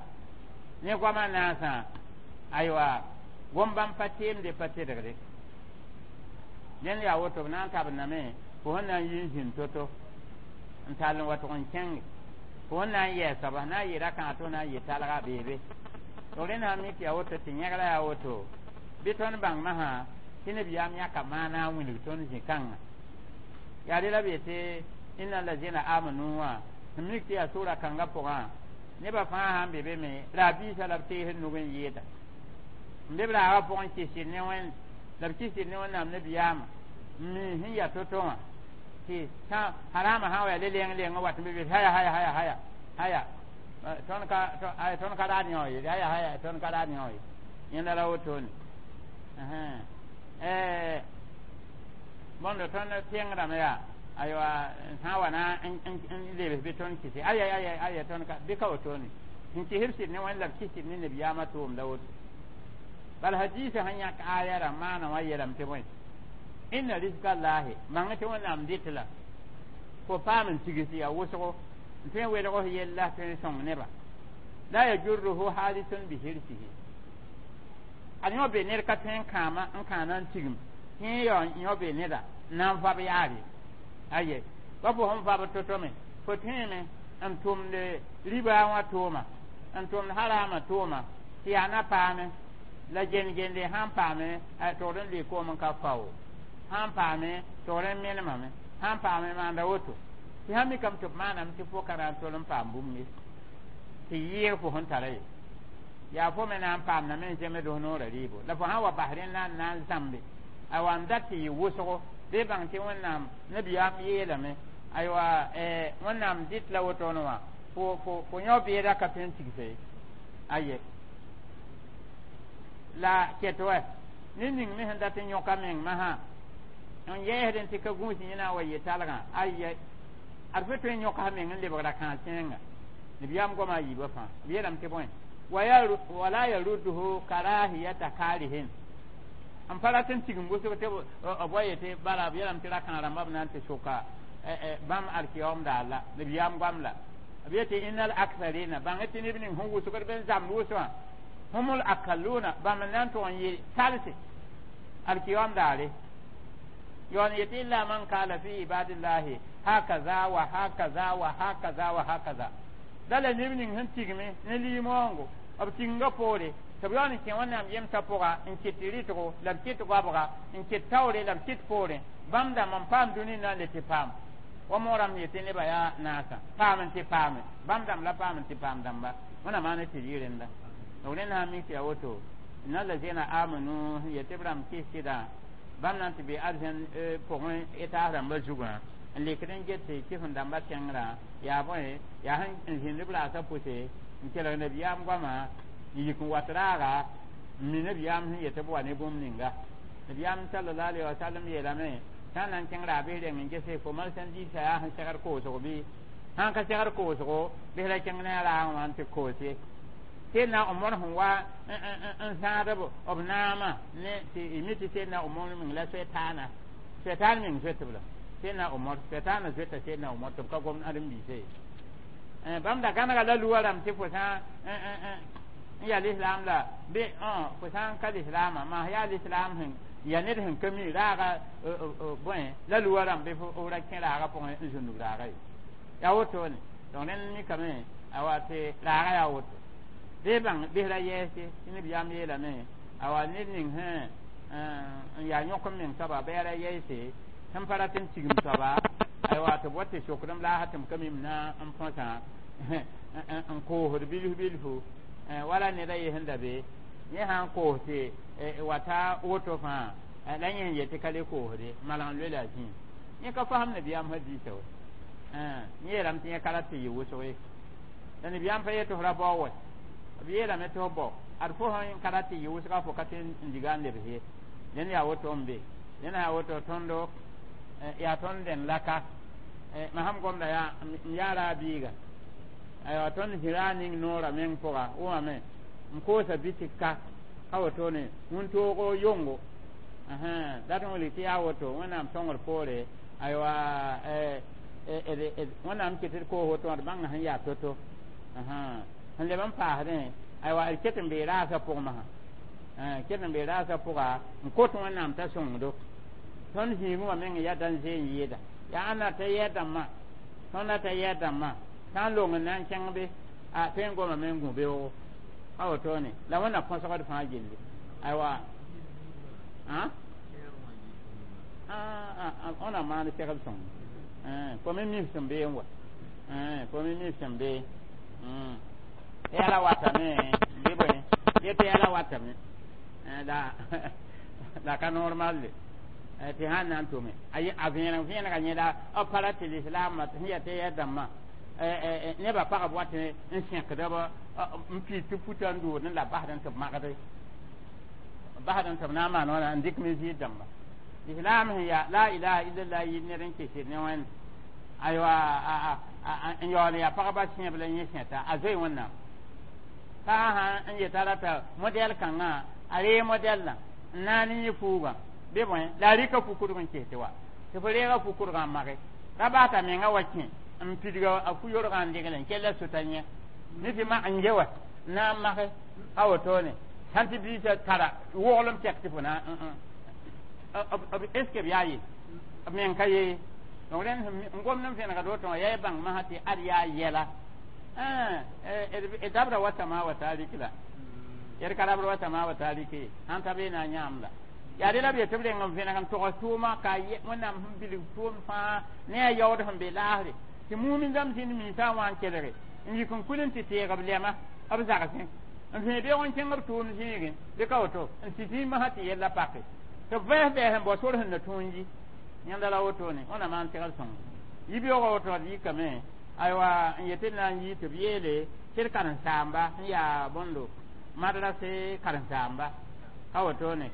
ne goamã naasã aywa gom bãmb pa teemde pa tedgde dẽnd yaa woto b na n tabendame fo sẽn na n yi n zĩnd to-to n tall n wa tʋg n kẽnge fo sẽn na n yɛɛ soaba na n yɩ ra-kãag tɩ f na n yɩ talga beebe d rẽnd sã mi tɩ yaa woto tɩ yẽgra yaa woto bɩ tõnd bãng masã tɩ nabiyaam yãka maana n wilg tõnd zĩ-kãngã yaa rela b yetɩ inna lazina amanu wã sẽn mik tɩ yaa sʋra kãngã pʋgã nebã fãa sãn be be me ra-biisã la b tees nug n yɩɩda n be b raagã pʋgẽ kɩsd ne wẽnd la b kɩsd ne wẽnnaam nabiyaamã n mi sẽn yaa to-to wã tɩ sã harama sã n wa yaa le leng leng n wat n be be haya haya haya haya haya tõnd ka tõnd ka raad yõ ye haya haya tõnd ka raad yõ ye yẽnda ra wotone bõndo tõnd tẽngdame yaa aywa sã n wa na n lebs bɩ tõnd kɩse aya aya aya tõnd ka bɩ ka wotone sẽn kɩsb sɩd ne wẽnd la b kɩsd ne nabiyaamã tʋʋmda woto bal hadisa sẽn yãk aya rã maana wã yeelame tɩ bõe inna rizka llahi bãng tɩ wẽnnaam dɩt la fo paam n tigs yaa wʋsgo n tõe n welg f yella tõe n sõng nebã la yajurruhu hadisun bihirsihi ad yõ be ned ka tõe n kãama n kãana n tigim tẽ yao yõ be neda n na n vab yaare aye pa fo sẽn vab to-to me fo tõeme n tʋmd riba wã tʋʋma n tʋmd harama tʋʋma tɩ yaa na paame la gend-gende sãn paame togd n lʋɩ koom n ka fao sãn paame togd n menemame sãn paame maanda woto tɩ sã mikame tɩ b maaname tɩ fo ka na n tol n paam bũmb ye tɩ yɩɩg fo sẽn tara ye yaa fo me na n paamdame n zems noorã rɩɩbo la fo sã n wa bas rẽnd na n na n zãmbe aywa n dat tɩ yɩ wʋsgo bɩ bãng tɩ wẽnnaam nabiyaam yeelame aywa wẽnnaam dɩt la wotone wã fo fo yõ beeda ka tõe n tigse ye aye la ket wa ne ning me sẽn dat n yõka meng masã n yɛɛsd tɩ ka gũus yẽ na n wa yɩ talgã aye ad fo tõe n yõka meng n lebgra kãag kẽenga nabiyaam goama a yiibã fãa b yeelame tɩ bõe wala yarudduhu karahiyata karihin n pa rat n tigim wʋsg tɩ b wa yetɩ bala b yeelame tɩ ra-kãag rãmba b na n tɩ sʋka bãmb alkiyaoom daar la nabiyaam goam la b yetɩ innal aktharina bãng tɩ neb ning sẽn wʋsgd bɩ n zãmd wʋsgã humul akaluna bãmb n na n tʋg n yɩ talse alkiyaoom daare yaool n yetɩ illa man kala fi ibadillahi hakaza wa hakaza wa hakaza wa hakaza la la neb ning sẽn tigme ne liimoongo b tigingã poore tɩ b yaool n kẽ wẽnnaam yemsã pʋga n kɩt rɩtgo la b kɩt goabga n kɩt taoore la b kɩt poorẽ bãmb dãmb n paam dũni na n le tɩ paam wa moorame yetɩ nebã yaa naasã paam n tɩ paame bãmb dãmb la paam n tɩ paam dãmba wẽnnaam maan tɩ rɩ rẽnda d rẽnd sã n mik tɩ yaa woto inna lazina amanu yetɩ b rãmb kɩs-sɩdã bãmb na n tɩ be arzẽn pʋgẽ etaas rãmbã zugã n lekd n get tɩ kɩsem dãmbã kẽngrã yaa bõe yaa sẽn zĩnd b raasã pʋse n kelg nabiyaam goamã n yik n wat raaga n mi nabiyaam sẽn yetɩ b wa ne bũmb ninga nabiyaam sallallahu alaihi wasallam yeelame sã n na n kẽng raabs reng n gese fo mal sẽn diisã yaa sẽn segd koosgo bɩ sãn ka segd koosgo bɩ ra kẽng ne a raagã wã n tɩ koos ye Seydina Omar sẽn wa n zãad b naamã ne tɩ mi tɩ Seydina Omar meng la soɛtaana soɛtaan meng zoetb la Seydina Omar soɛtaana zoeta Seydina Omar tɩ b ka gom ãdem-biisã ye bãmb da gãnega la luwa rãmb tɩ fo sã n yaa lislaam la bɩ fo sã n ka lislaamã maa yaa lislaam sẽn ya ned sẽn ka mi raaga bõe la luwa rãmb bɩ f ra kẽ raaga pʋgẽ n zũnug raaga ye yaa wotone donc rẽnd mikame awa tɩ raaga yaa woto bɩ bãng bɩs ra yɛɛse tɩ nabiyaam yeelame awa ned ning sẽn n yaa yõk n meng soaba bɩ yaa ra yɛɛse sẽn pa rat n tigim soaba aywa tɩ b wa tɩ sokdem laasa tɩ m ka mim na n põsã n koosd bilf bilfu wala ned a ye sẽn da be yẽ sã n koos tɩ wata woto fãa la yẽ sẽn yet tɩ ka le koosde malag n loe la a zĩig yẽ ka fasem nabiyaam hadiisa wa yẽ yeelame tɩ yẽ ka rat tɩ yɩ wʋsg ye la nabiyaam pa yet tɩ f ra bao wa b yeelame tɩ f bao Ad fo sẽn ka rat tɩ yɩ wʋsga fo ka tõe n diga n lebs ye. Dẽnd yaa woto n be. Dẽnd yaa woto tõndo yaa tõnd dẽnd la ka. Mam sãn gomda yaa n yaara a biiga. Aywa, tõnd zĩ-raag ning noorã meng pʋga wʋmame n koosa bitik ka ka wotone wĩntoogo yongo. Dat n wilg tɩ yaa woto Wẽnnaam sõngr poore. Aywa, Wẽnnaam ket d koos woto wã d bãnga sẽn yaa to-to sẽn leb n paasdẽ. Aywa, d ket n bee raasã pʋg masã, ket n bee raasã pʋga n kot Wẽnnaam t'a sõngdo. Tõnd zĩigẽ wã meng yaa dãn-zee n yɩɩda yaa ãnna t'a yɛɛ dãmbã, tõnd t'a yɛɛ dãmbã sã n long n na n kẽng be a tõe n gomame n gũ beoogo ka wotone la Wẽnna põsgd fãa gilli. Aywa, wẽnnaam maan segl sõng fo me mif sẽn bee n wa, fo me mif sẽn bee yɛla watame bɩ bõe yetɩ yɛla watame la la ka normal tɩ sãn na n tʋme a vẽeneg vẽenega yẽla b pa ra tɩ lislaamã sẽn yaa tɩ yɛ dãmbã nebã pagb wat n sẽkd b n piid tɩ puta n doodẽ la basdẽ tɩ b magde basdẽ tɩ b na n maan wãna n dɩk me zɩɩd dãmba. Islam sẽn yaa la ilaha illallah yɩ ned n kesd ne Wẽnd. Aywa, n yaool n yaa pagba sẽeb la yẽ sẽta a zoe Wẽnnaam fãa sã n yeta rata modɛl kãngã a ree modɛllã n na n yẽ fuugã bɩ bõe la a rɩka fu-kʋdg n kes tɩ wa tɩ fo reega fu-kʋdgã n mage ra baata menga wa kẽ n pidga a fu-yorgã n degle n kella sota yẽ ne tɩ mak n ge wa n na n mage a wotone sãn tɩ biisã tara woglem tɛk tɩ fo na est ce que b yaa ye b meng ka ye. Donc rẽnd n gomd n vẽnegd woto wã yaa y bãng masã tɩ ad yaa yɛla d dabra wa tama wa tarik la d ka rabr wa tama wa tarike ye sãn ta bee na n yãam la yaa dela b yetɩ b reng n vẽneg n togs tʋʋma ka Wẽnnaam sẽn bilg tʋʋm fãa ne a yaood sẽn be laasre tɩ mumin dãmb zĩnd minsã wã n kelge n yik n kul n tɩ teeg b lɛma b zagsẽ n vẽe beoog n kẽng b tʋʋm zĩigẽ bɩ ka woto n tɩ zĩig masã tɩ yella pake tɩ b vẽes bɛɛs n bao sor sẽn na tũu n yi yẽnda la wotone. Wẽnnaam maan segl sõng yibeoogã woto d yikame. Aywa, n yetɩ d na n yii tɩ b yeele tɩ d karen-saamba sẽn yaa bõndo madrase karen-saamba ka wotone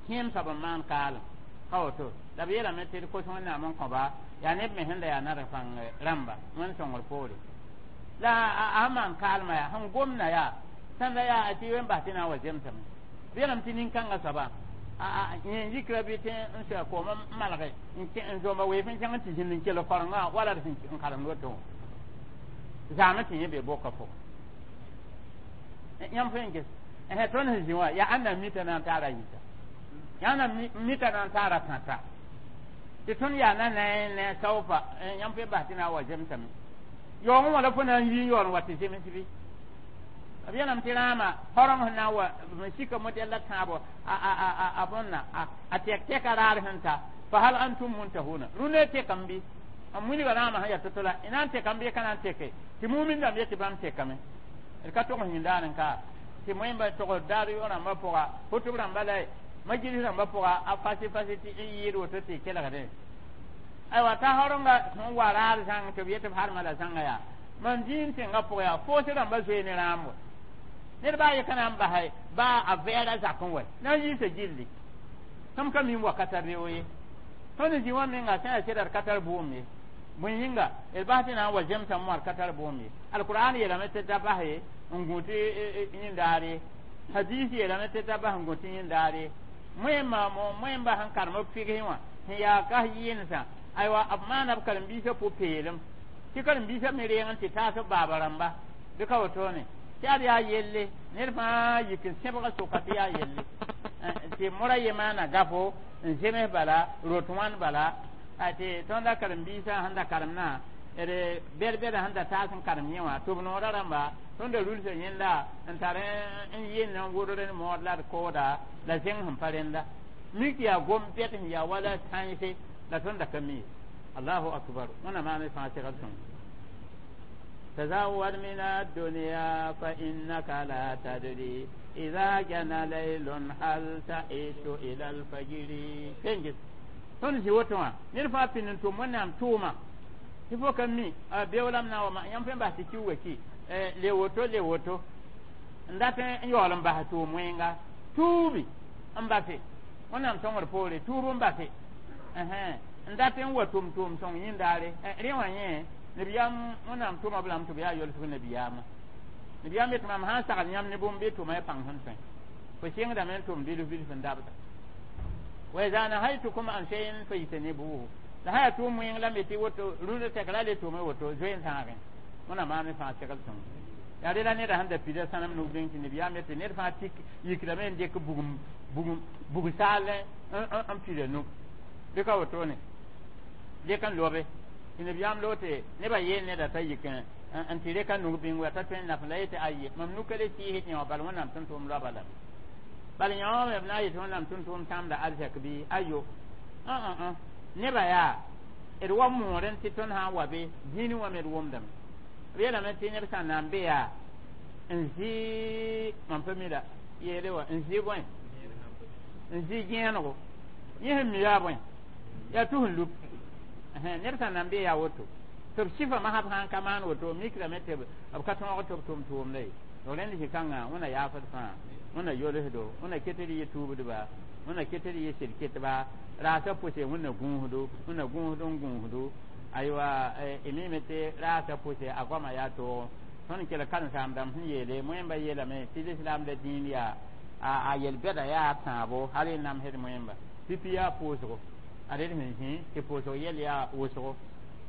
kẽem soab n maan kaalem ka woto la b yeelame tɩ d kos Wẽnnaam n kõba yaa neb me sẽn da yaa nadg pãng rãmba Wẽnd sõngr poore la a sẽn maan kaalmã yaa sẽn gomda yaa sãnda yaa tɩ wen bas tɩ na n wa zemsame. B yeelame tɩ nin-kãngã soaba yẽ yikra bɩ tɩ n soa koom n malge n zomba weef n kẽng n tɩ zĩnd n kell korengã wala d sẽn karemd woto zaame tɩ yẽ be boka pʋgẽ yãmb fo n ges tõnd sẽn zĩ wã yaa ãnna mita na n taara yita yaa na mita na n taara tãta tɩ tõnd yaa na ne saofa yãmb fo bas tɩ na n wa zemsame yaoogẽ wã la fo na n yi n yaool n wa tɩ zems bɩ b yeelame tɩ rãamã horeng sẽn na n wa n sika modɛl la tãabo a bõnna a tɛk tɛka raar sẽn ta fa hal antum muntahuna rũndã tekame bɩ n wilga rãamã sẽn yaa to-to la y na n tekame bɩ ka na n teke tɩ mumin dãmb yetɩ bãmb tekame d ka tog yĩndaar n ka tɩ moẽmba tog daar yo rãmbã pʋga hʋtb rãmba la majlis rãmbã pʋga a fasi fasi tɩ n yɩɩd woto tɩ kelgdẽ. Aywa, t'a horenga sẽn wa raar zãng tɩ b yetɩ b harma la zãnga yaa mam zĩig tẽngã pʋga yaa foos rãmbã zoe ne rãam wa ned baa ye ka na n basɛ baa a vɛɛra zak n wa na n yiisa gilli tõmb ka mim wakata reo ye. Tõnd zĩ wã menga sã yaa sɩda d ka tar bʋʋm ye bõe yĩnga d bas tɩ na n wa zemsame wã d ka tar bʋʋm ye. Alqur'an yeelame tɩ da bas ye n gũ tɩ yĩndaar ye, hadis yeelame tɩ da bas n gũ tɩ yĩndaar ye. Moẽmba moẽmba sẽn karem b fɩgsẽ wã sẽn yaa kas yɩɩnsã aywa b maana b karen-biisã pʋ-peelem tɩ karen-biisã me reeg n tɩ taas b baaba rãmba bɩ ka wotone tɩ ad yaa yelle ned fãa yik n sẽbga soka tɩ yaa yelle tɩ mora ye maana gafo n zems bala rot wãn bala tɩ tõnda karen-biisã sẽn da karemnã d bɛd-bɛda sẽn da taas n karem yẽ wã tɩ b noora rãmba tõnda rulsã yẽnda n tar n yɩnd n wʋdr n mood la d kooda la zẽng sẽn pa rẽnda mik yaa gom bɛd sẽn yaa wala tãnse la tõnda ka mi. Allahu akbar, wẽnna maan fãa segl sõng. تزود من الدنيا فإنك لا تدري إذا جن ليل هل تعيش إلى الفجر. فنجس tõnd zĩ woto wã ned fãa pĩnd n tʋm Wẽnnaam tʋʋma tɩ fo ka mi beoolam na wa yãmb fẽn bas tɩ ki wa ki le woto le woto. N dat n yaool n bas tʋʋm wẽnga tuubi n base wẽnnaam sõngr poore tuub n base n dat n wa tʋm tʋʋm sõng yĩndaare rẽ wã yẽ nabiyaam wẽnnaam tʋma b lame tɩ b yaa yolsg nabiyaamã nabiyaam yetɩ mam sã n sagl yãmb ne bũmb bɩ tʋma y pãng sẽn tõe fo sɩngdame n tʋm bilf bilf n dabda wa iza nahaytukum an shay'in fajtanibuhu la sã yaa tʋʋm wẽng la me tɩ woto rũndã tɛk ra le tʋme woto zoe n tãagẽ wẽnnaam maam fãa segl sõng yaa rela neda sẽn da pida sãnem nug bĩng tɩ nabiyaam yetɩ ned fãa tik yikrame n dɩk bugum bugum bug saal n pida nu bɩ ka wotone dɩk n lobe tɩ nabiyaam loog tɩ nebã yeel neda t'a yik n tɩ reka nug bĩng wa t'a tõe n naf la yetɩ aye mam nuka le sɩɩsd yã wã bal wẽnnaam tʋm tʋʋm loaba lame bal yã wã me b na n yetɩ wẽnnaam tʋm tʋʋm sãamda arzɛk bɩ ayo nebã yaa d wa moorẽ tɩ tõnd sã n wa be dĩinẽ wã me d wʋmdame b yeelame tɩ neb sã n na n be yaa n zɩ mam pa mi la yeele wa n zɩ bõe n zɩ gẽenego yẽ sẽn mi yaa bõe yaa tus n lup neb sã n na n be yaa woto tɩ b sɩfa masb sã n ka maan woto mikrame tɩ b ka tõog tɩ b tʋm tʋʋmda ye rẽnd zĩ-kãngã wẽna yaafd fãa wẽna yolsdo wẽna ket d yɩ tuubdba wẽna ket d yɩ sɩd ketba raasa pʋse wẽnna gũusdo wẽnna gũusd n gũusdo aywa y mime tɩ raasa pʋse a goama yaa toogo tõnd kell karen-saam-dãmb sẽn yeele moẽmba yeelame tɩ lislaam la dĩin yaa a yel-bɛda yaa tãabo hal y namsd moẽmba pipi yaa pʋʋsgo a red sẽn zĩ tɩ pʋʋsg yɛl yaa wʋsgo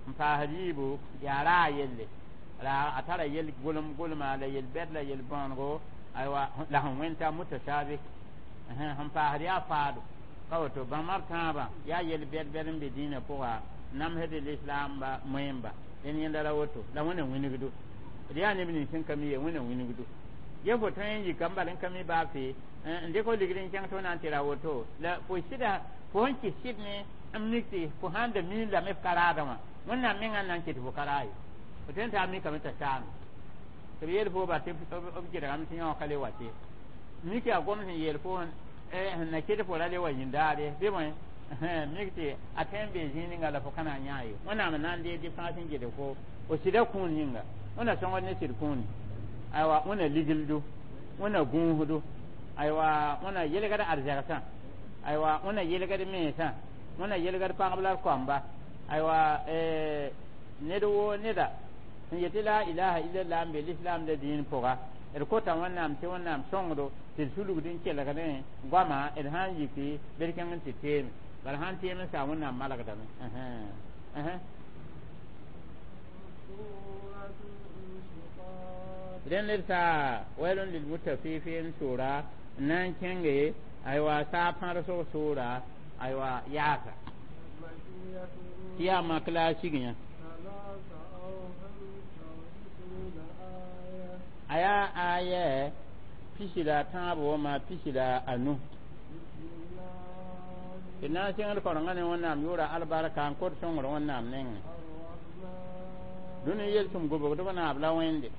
n paasd yiibu yaa raa yelle ra a tara yel gʋlem gʋlma la yel-bɛd la yel-bõonego aywa la sẽn wẽnta mutashabih sẽn paasd yaa faado ka woto bãmba b tãabã yaa yel-bɛd bɛd n be dĩinã pʋga namsd lislaamba moẽmba dẽn yẽnda ra woto la wẽna wĩnigdo d yaa neb nins sẽn ka mi ye wẽna wĩnigdo ye fo tõe n yika n bal n ka mi baa fɩ n dɩk fo ligd n kẽng tɩ f na n tɩ ra woto la fo sɩda fo sẽn kɩs sɩd ne n mik tɩ fo sãn da miin lame f ka raadã wã wẽnnaam mengã n na n ket fo ka raa ye fo tõe n t'a mikame t'a saame tɩ b yeel fo ba tɩ b gɩdgame tɩ yã wã ka le wa tɩ mik yaa gom sẽn yeel fo sẽn na ket fo ra le wa yĩndaare bɩ bõe mik tɩ a tõe n bee zĩig ninga la fo ka na n yã ye wẽnnaam n na n deeg dɩ fãa sẽn gɩdg fo fo sɩda kũun yĩnga wẽna sõngd ne sɩd kũuni aywa wẽna ligldo wẽna gũusdo aywa wẽna yelgd arzɛgsã aywa wẽna yelgd mensã wẽna yelgd pagb la d koamba aywa ned woo neda sẽn yetɩ la ilaha illallah n be lislaam la dĩin pʋga d kota wẽnnaam tɩ wẽnnaam sõngdo tɩ d sulgd n kelgdẽ goama d sã n yiki bɩ d kẽng n tɩ teeme bala sã n teem n saa wẽnnaam malgdame rẽnd d saa wailun lilmutafifin sʋra n na n kẽnge aywa saa pãrsg sʋʋra aywa yaasa tɩ yaa mak la a sig yã a yaa aya pisi la tãabo wãma pisi la anu tɩ na n sẽngd kaorengã ne wẽnnaam yʋʋra albarka n kot sõngr wẽnnaam nengẽ dũni yelsem gobgdb naab la wẽnde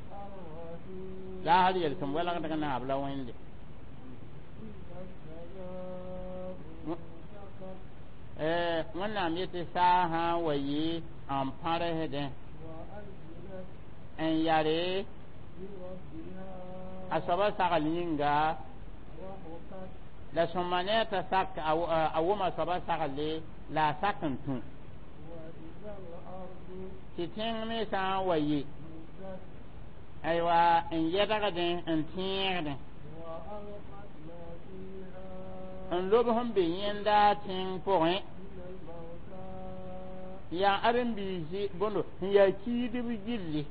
la hal yelsem welgdg naab la wẽnde wẽnnaam yetɩ saa sã n wa yɩ n pãrsdẽ n yare a soaba sagl yĩnga la sõma ne a t'a sak a wʋma soaba sagle la a sak n tũ tɩ tẽng me sã n wa yɩ aywa n yɛdgdẽ n tẽegdẽ n lob sẽn be yẽnda tẽng pʋgẽ yaa ãdem-biisi bõndo sẽn yaa kiidb gilli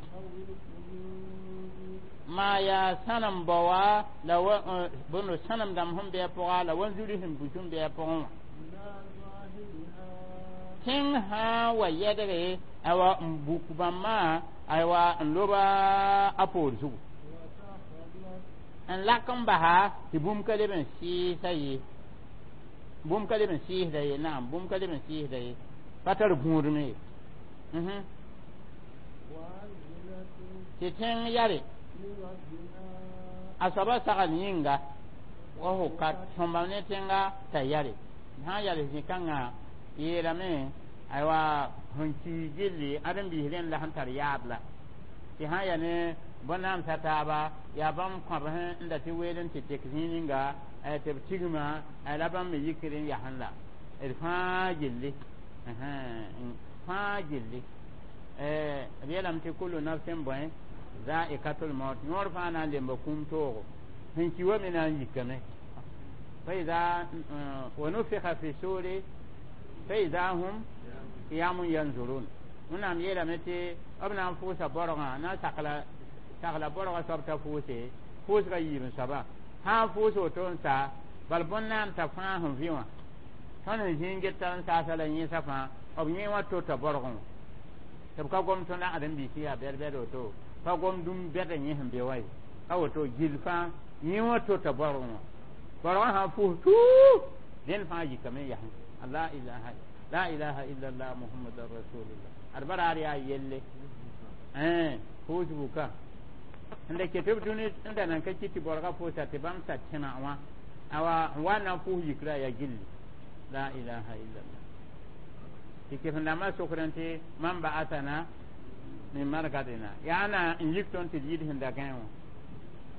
maa yaa sãnem baoa la wa bõndo sãnem dãmb sẽn bɩ a pʋga la wanzuri sẽn bus n bɩ a pʋgẽ wã tẽng sã n wa yɛdge aywa n buk bãmbã aywa n loba a poor zugu n lak n basa tɩ bũmb ka leb n sɩɩsa ye bũmb ka leb n sɩɩsda ye naam bũmb ka leb n sɩɩsda ye pa tar gũudme ye tɩ tẽng yare a soaba sagl yĩnga wa hukat sõmba ne tẽnga t'a yare sã n yals zĩ-kãngã yeelame aywa sẽn kii gilli ãdem-biis rẽnd la sẽn tar yaab la tɩ sã n yaa ne bõn-naam taaba yaa bãmb kõb sẽn da tɩ weel n tɩ tek zĩig ninga tɩ b tigma la bãmb me yikr n yasẽ la d fãa gilli fãa gilli b yeelame tɩ kulu nafsɩn bõe zaikatul maut yõor fãa na n lemba kũum toogo sẽn ki wa me na n yikame فإذا ونفخ في السور فإذا هم قيام ينظرون wẽnnaam yeelame tɩ b na n fʋʋsa borgã na n sakla sagla borgã soab t'a fʋʋse fʋʋsga yiib n soaba sã n fʋʋs woto n sa bal bõn-naam t'a fãa sẽn vɩ wã tõnd sẽn zĩig get t'a n saasa la yẽesã fãa b yẽ wã tota borgẽ wã tɩ b ka gom tõnd ãdem-biisã yaa bɛd-bɛd woto pa gom dũm bɛd n yẽ sẽn be wã ye a woto gill fãa yẽ wã tota borgẽ wã borgã sã n fʋʋs tuu dẽnd fãa yikame n yasẽ la ilaha la ilaha illallah muhammadan rasulullah ad baraar yaa yelle fʋʋs buka n da ket b dũni n da nan ka kɩ tɩ borgã fʋʋsa tɩ bãmb sa tẽma wã awa n wa na n fʋʋs yikra yaa gilli la ilaha illallah tɩ kɩf-dãmbã sokd n tɩ man ba'asana min markadina yaa na n yik tõnd tɩ d yid sẽn da gãe wã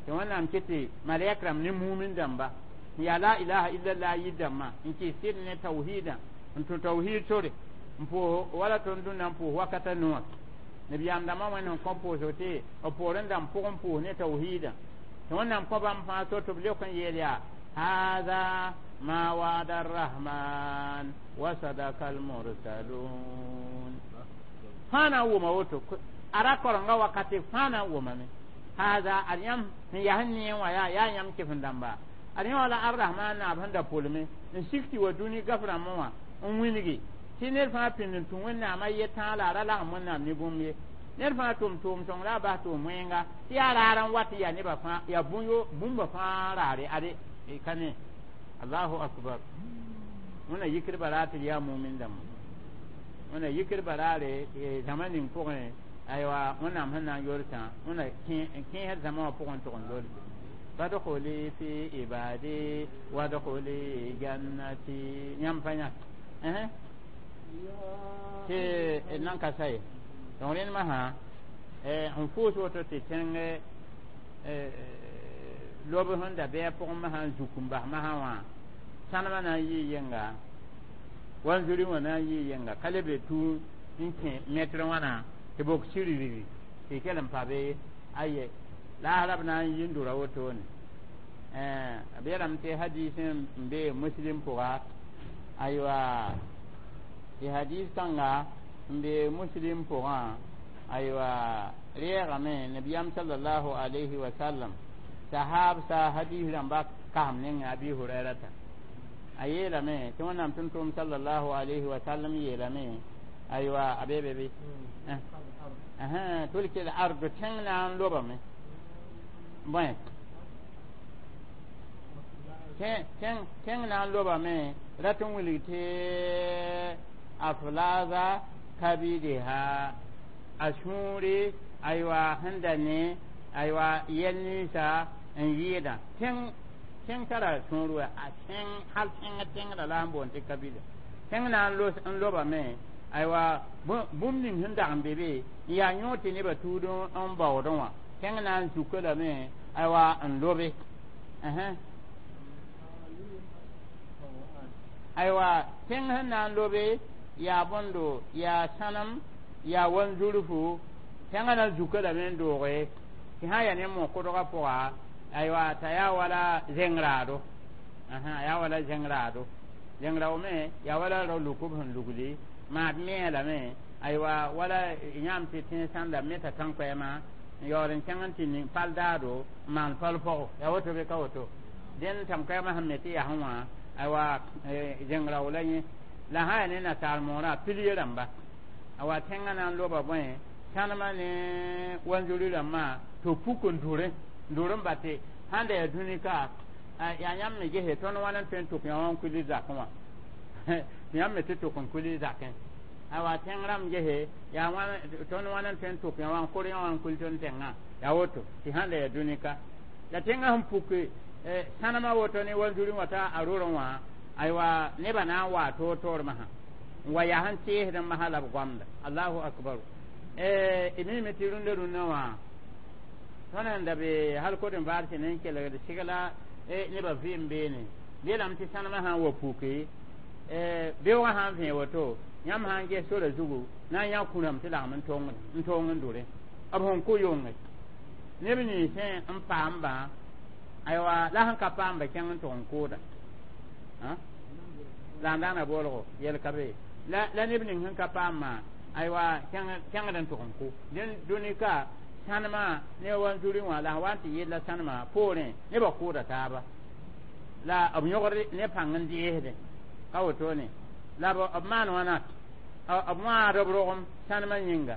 tɩ wẽnnaam kɩ tɩ malɛk rãmb ne mumin dãmba n yaa la ilaha illallah yid dãmbã n kɩs sɩd ne tawhidã n tũ tawhid sore n pʋʋs wala tõnd dũnna n pʋʋs wakata noor nabiyaam dãmbã wẽnd sẽn kõ pʋʋsg tɩ b poorẽ dãmb pʋgẽ pʋʋs ne tawhidã tɩ wẽnnaam kõ bãmb fãa so tɩ b leok n yeel yaa hada ma wa'ada arrahman wa sadaka almursalun fãa na n wʋma woto a ra korenga wakate fãa na n wʋmame hada ad yãmb sẽn yaa sẽn neẽ wã yaa yaa yãmb kɩf-dãmba ad yẽ wã la arrahman naab sẽn da pʋlme n sik tɩ wa dũni gaf rãmbẽ wã n wilgi tɩ ned fãa pĩnd n tũ wẽnnaam a ye tãag la a ra lagem wẽnnaam ne bũmb ye ned fãa tʋm tʋʋm sõng la a bas tʋʋm wẽnga tɩ yaa raar n wat yaa nebã fãa yaa bũmba fãa raare ade ka ne allahu akbar wẽnna yikdbã raar tɩ d yaa mumin dãmba wẽnna yikdbã raare zãma ning pʋgẽ aywa wẽnnaam sẽn na n yolsã wẽnna kẽesd zãma wã pʋgẽ tʋg n lolse fadkhuli fi ibadi wadkhuli jannati yãmb pa yã tɩ d nan ka sa ye donc rẽnd masã n fʋʋs woto tɩ tẽng lob sẽn da bɩ a pʋgẽ masã n zuk n bas masã wã sãnemã na n yɩɩ yenga wanzuri wã na n yɩɩ yenga ka le be tũ n kẽ mɛtr wãna tɩ bok sirgrigi tɩ kell n pa be aye laasra b na n yi n dʋra wotone b yeelame tɩ hadis n be muslim pʋga aywa tɩ hadis kãnga n be muslim pʋgã aywa reegame nabiyam sallallahu alayhi wa sallam sahab sa hadis rãmba kasem nengẽ abi hurairata a yeelame tɩ wẽnnaam tʋm-tʋʋm sallallahu alayhi wa sallam yeelame aywa a be be be tulki l ardu tẽng na n lobame bõe tẽng na n lobame rat n wilg tɩ aflaza kabidiha a sũuri aywa sẽn da ne aywa yɛl ninsã n yɩɩdã tẽng tẽng tara sũur wa a tẽng hal tẽng tẽngrã la n boond tɩ kabida tẽng na n lobame aywa bũmb ning sẽn dag n be be n yaa yõod tɩ nebã tuud n baoodẽ wã tẽng na n zuka lame aywa n lobe aywa tẽng sẽn na n lobe yaa bõndo yaa sãnem yaa wanzurfu tẽngã na n zuka lame n dooge tɩ sã n yaa ne mo-kʋdgã pʋga aywa t'a yaa wala zẽng-raado a yaa wala zẽng-raado zẽng-rao me yaa wala rao lukb sẽn lugli maad me lame aywa wala yãmb tɩ tẽns sãn da meta tãn-koɛɛmã n yaool n kẽng n tɩ ning pal daado n maan pal pɔgo yaa woto be ka woto dẽnd tãn-koɛɛmã sẽn me tɩ yasẽ wã aywa zẽng-rao la yẽ la sã yaa ne nasaar moorã pilie rãmba awa tẽngã na n loba bõe sãnemã ne wanzuri rãmbã tɩ puk n dʋrẽ n dʋr n bate sãn da yaa dũni ka yaa yãmb me gese tõnd wãn n tõe n tʋk yã wã n kuli zakẽ wã tɩ yãmb me tɩ tʋk n kuli zakẽ awa tẽng rãmb gese yaa tõnd wãn n tõe n tʋk yã wã n kʋr yã wã n kul tõnd tẽngã yaa woto tɩ sãn da yaa dũni ka la tẽngã sẽn puk sãnemã woto ne wanzuri wã t'a a rorẽ wã aywa nebã na n waa toor toor masã n wa yaa sẽn teesd n masã la b goamda allahu akbaru d mime tɩ rũndã rũndã wã Tõnd sẽn da be hal kot n vaar sẽn n kelgd segla nebã vɩɩm beene yeelame tɩ sãnemã sã n wa puke beoogã sã n vẽ woto yãmb sã n ges sora zugu na n yã kũrame tɩ lagem n toong n dʋre b sẽn kʋ yonge neb ninsẽ n paambã aywa la sẽn ka paamba kẽng n tʋg n kʋʋda la n daana boolgo yɛl ka be la la neb ning sẽn ka paamã aywa kẽngd n tʋg n kʋ dẽn dũni ka sãnemã ne wa n zuri wã la sẽn wa n tɩ yella sãnemã poorẽ nebã kʋʋda taaba la b yõgd ne pãng n deesdẽ ka wotone la b maan wãna b wãad b rogem sãnemã yĩnga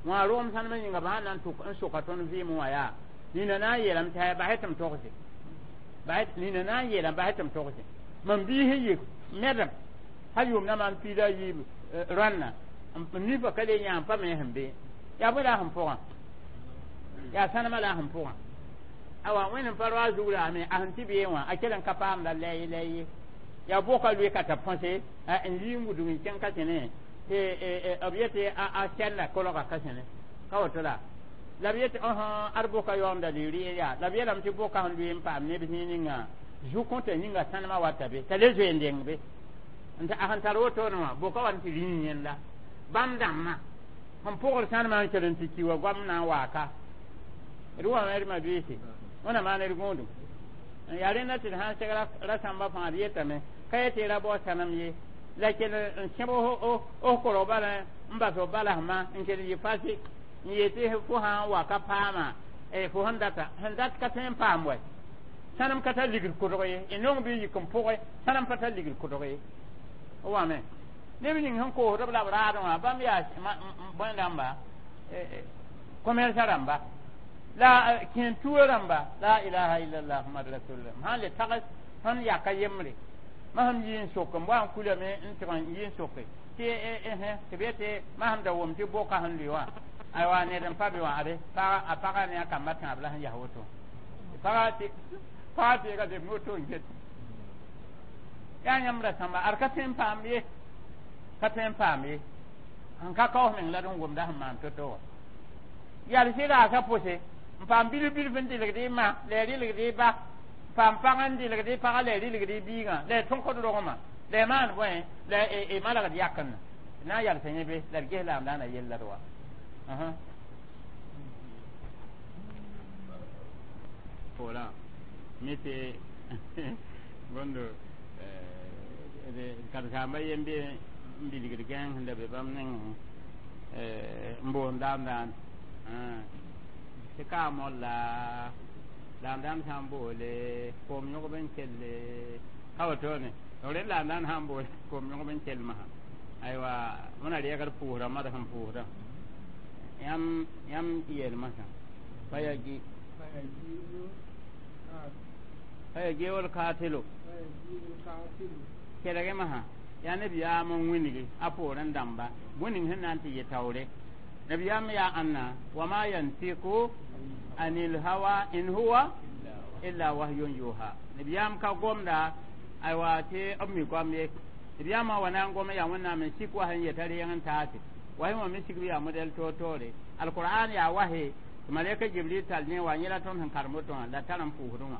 wã rogem sãnemã yĩnga b sãn na n soka tõnd vɩɩm wã yaa nina na n yeelame tɩ basɛ tɩ m togse nina na n yeelame basɛ tɩ m togse mam biis n yik medem hal yʋʋm na maan piida a yiib rãnna n nifa ka le yã n pa me sẽn be yaa bõe la a sẽn pʋgã yaa sãnemã la a sẽn pʋgã awa wẽnd n pa roa zug raame a sẽn tɩ bee wã a kell n ka paamda lɛɛye lɛɛye yaa boka lʋɩ ka t'a põse n yi n wudg n kẽng ka sẽne tɩ b yetɩ a sɛlla kolga ka sẽne ka woto la la b yetɩ ad boka yaoonda li rɩɩr yaa la b yeelame tɩ boka sẽn lʋɩ n paam neb zĩig ninga zu-kõta yĩnga sãnemã wata be t'a le zoe n deng be n a sẽn tar wotone wã boka wa n tɩ rĩig yẽnda bãmb dãmbã sẽn pʋgd sãnemã n kell n tɩ ki wa goam na n waaka d wame d mabiisi wẽna maan d gũudum yaa rẽnda tɩ d sã n seg rasãmbã fãa d yetame ka yetɩ ra bao sãnem ye la kell n sẽb f korg bala n bas f balasmã n kell yɩ fasi n yetɩ fo sã n wa ka paama fo sẽn data sẽn dat ka tõe n paam wɛ sãnem ka tar ligd kʋdg ye y nong bɩ yik n pʋgẽ sãnem pa tar ligd kʋdg ye f wame neb ning sẽn koosd b la b raadẽ wã bãmb yaa bõe rãmba commerce rãmba la kẽen tuo rãmba la ilaha illallah muhammad rasulullah sãn le tags sẽn yaka yembre ma sẽm yi n sok n wa n kulame n tɩg n yi n soke tɩ tɩ b yetɩ ma sẽm da wʋm tɩ boka sẽn lʋɩ wã aywa ned n pa be wã ade a pagã ne a kambã tãab la sẽn yas woto pagã tɩ pagã teega leb woto n get yaa yãmb ra sãmba ad ka tõe n paam ye ka tõe n paam ye sẽn ka kaoos meng la d n wʋmda sẽn maan to-to wã yal sɩ raasã pʋse n paam bilf bilf n dɩlgd y ma la y rɩlgd y ba paam pag n dɩlgd y pagã la y rɩlgd y biigã la y tõkd rogmã la y maan bõe la y malgd yakenda na n yalsa yẽ be la d ges la n daana yella d wa poorã mi tɩ bõndo karen-saambã yem be n bilgd gãeng sẽn da be bãmb nengẽ n boond daam-daan tɩ kaa molla laam-dãmb sã n boole koom yõgb n kelle ka wotone rẽ laam-dãnd sã n boole koom yõgb n kell masã aywa wẽna reegd pʋʋsdã mad sẽn pʋʋsdã yãmb yãmb yeel masã pa ya gi pa ya geool kaatelo kelgẽ masã yaa nabiyaam n wĩngi a poorẽ dãmba bõe ning sẽn na n tɩ yɩ taoore nabiyaam yaa ãnna wama yantiku anil hawa in huwa illa wahyun yuha nabiyaam ka gomda aywa tɩ b mi goam ye nabiyaamã wa na n gom yaa wẽnnaam n sik wa sẽn yeta reeng n taase wahi wã me sigb yaa modɛl toor-toore alqur'an yaa wahe tɩ malɛka jibril tall ne wa yẽla tõnd sẽn karem woto wã la tar n pʋʋsdẽ wã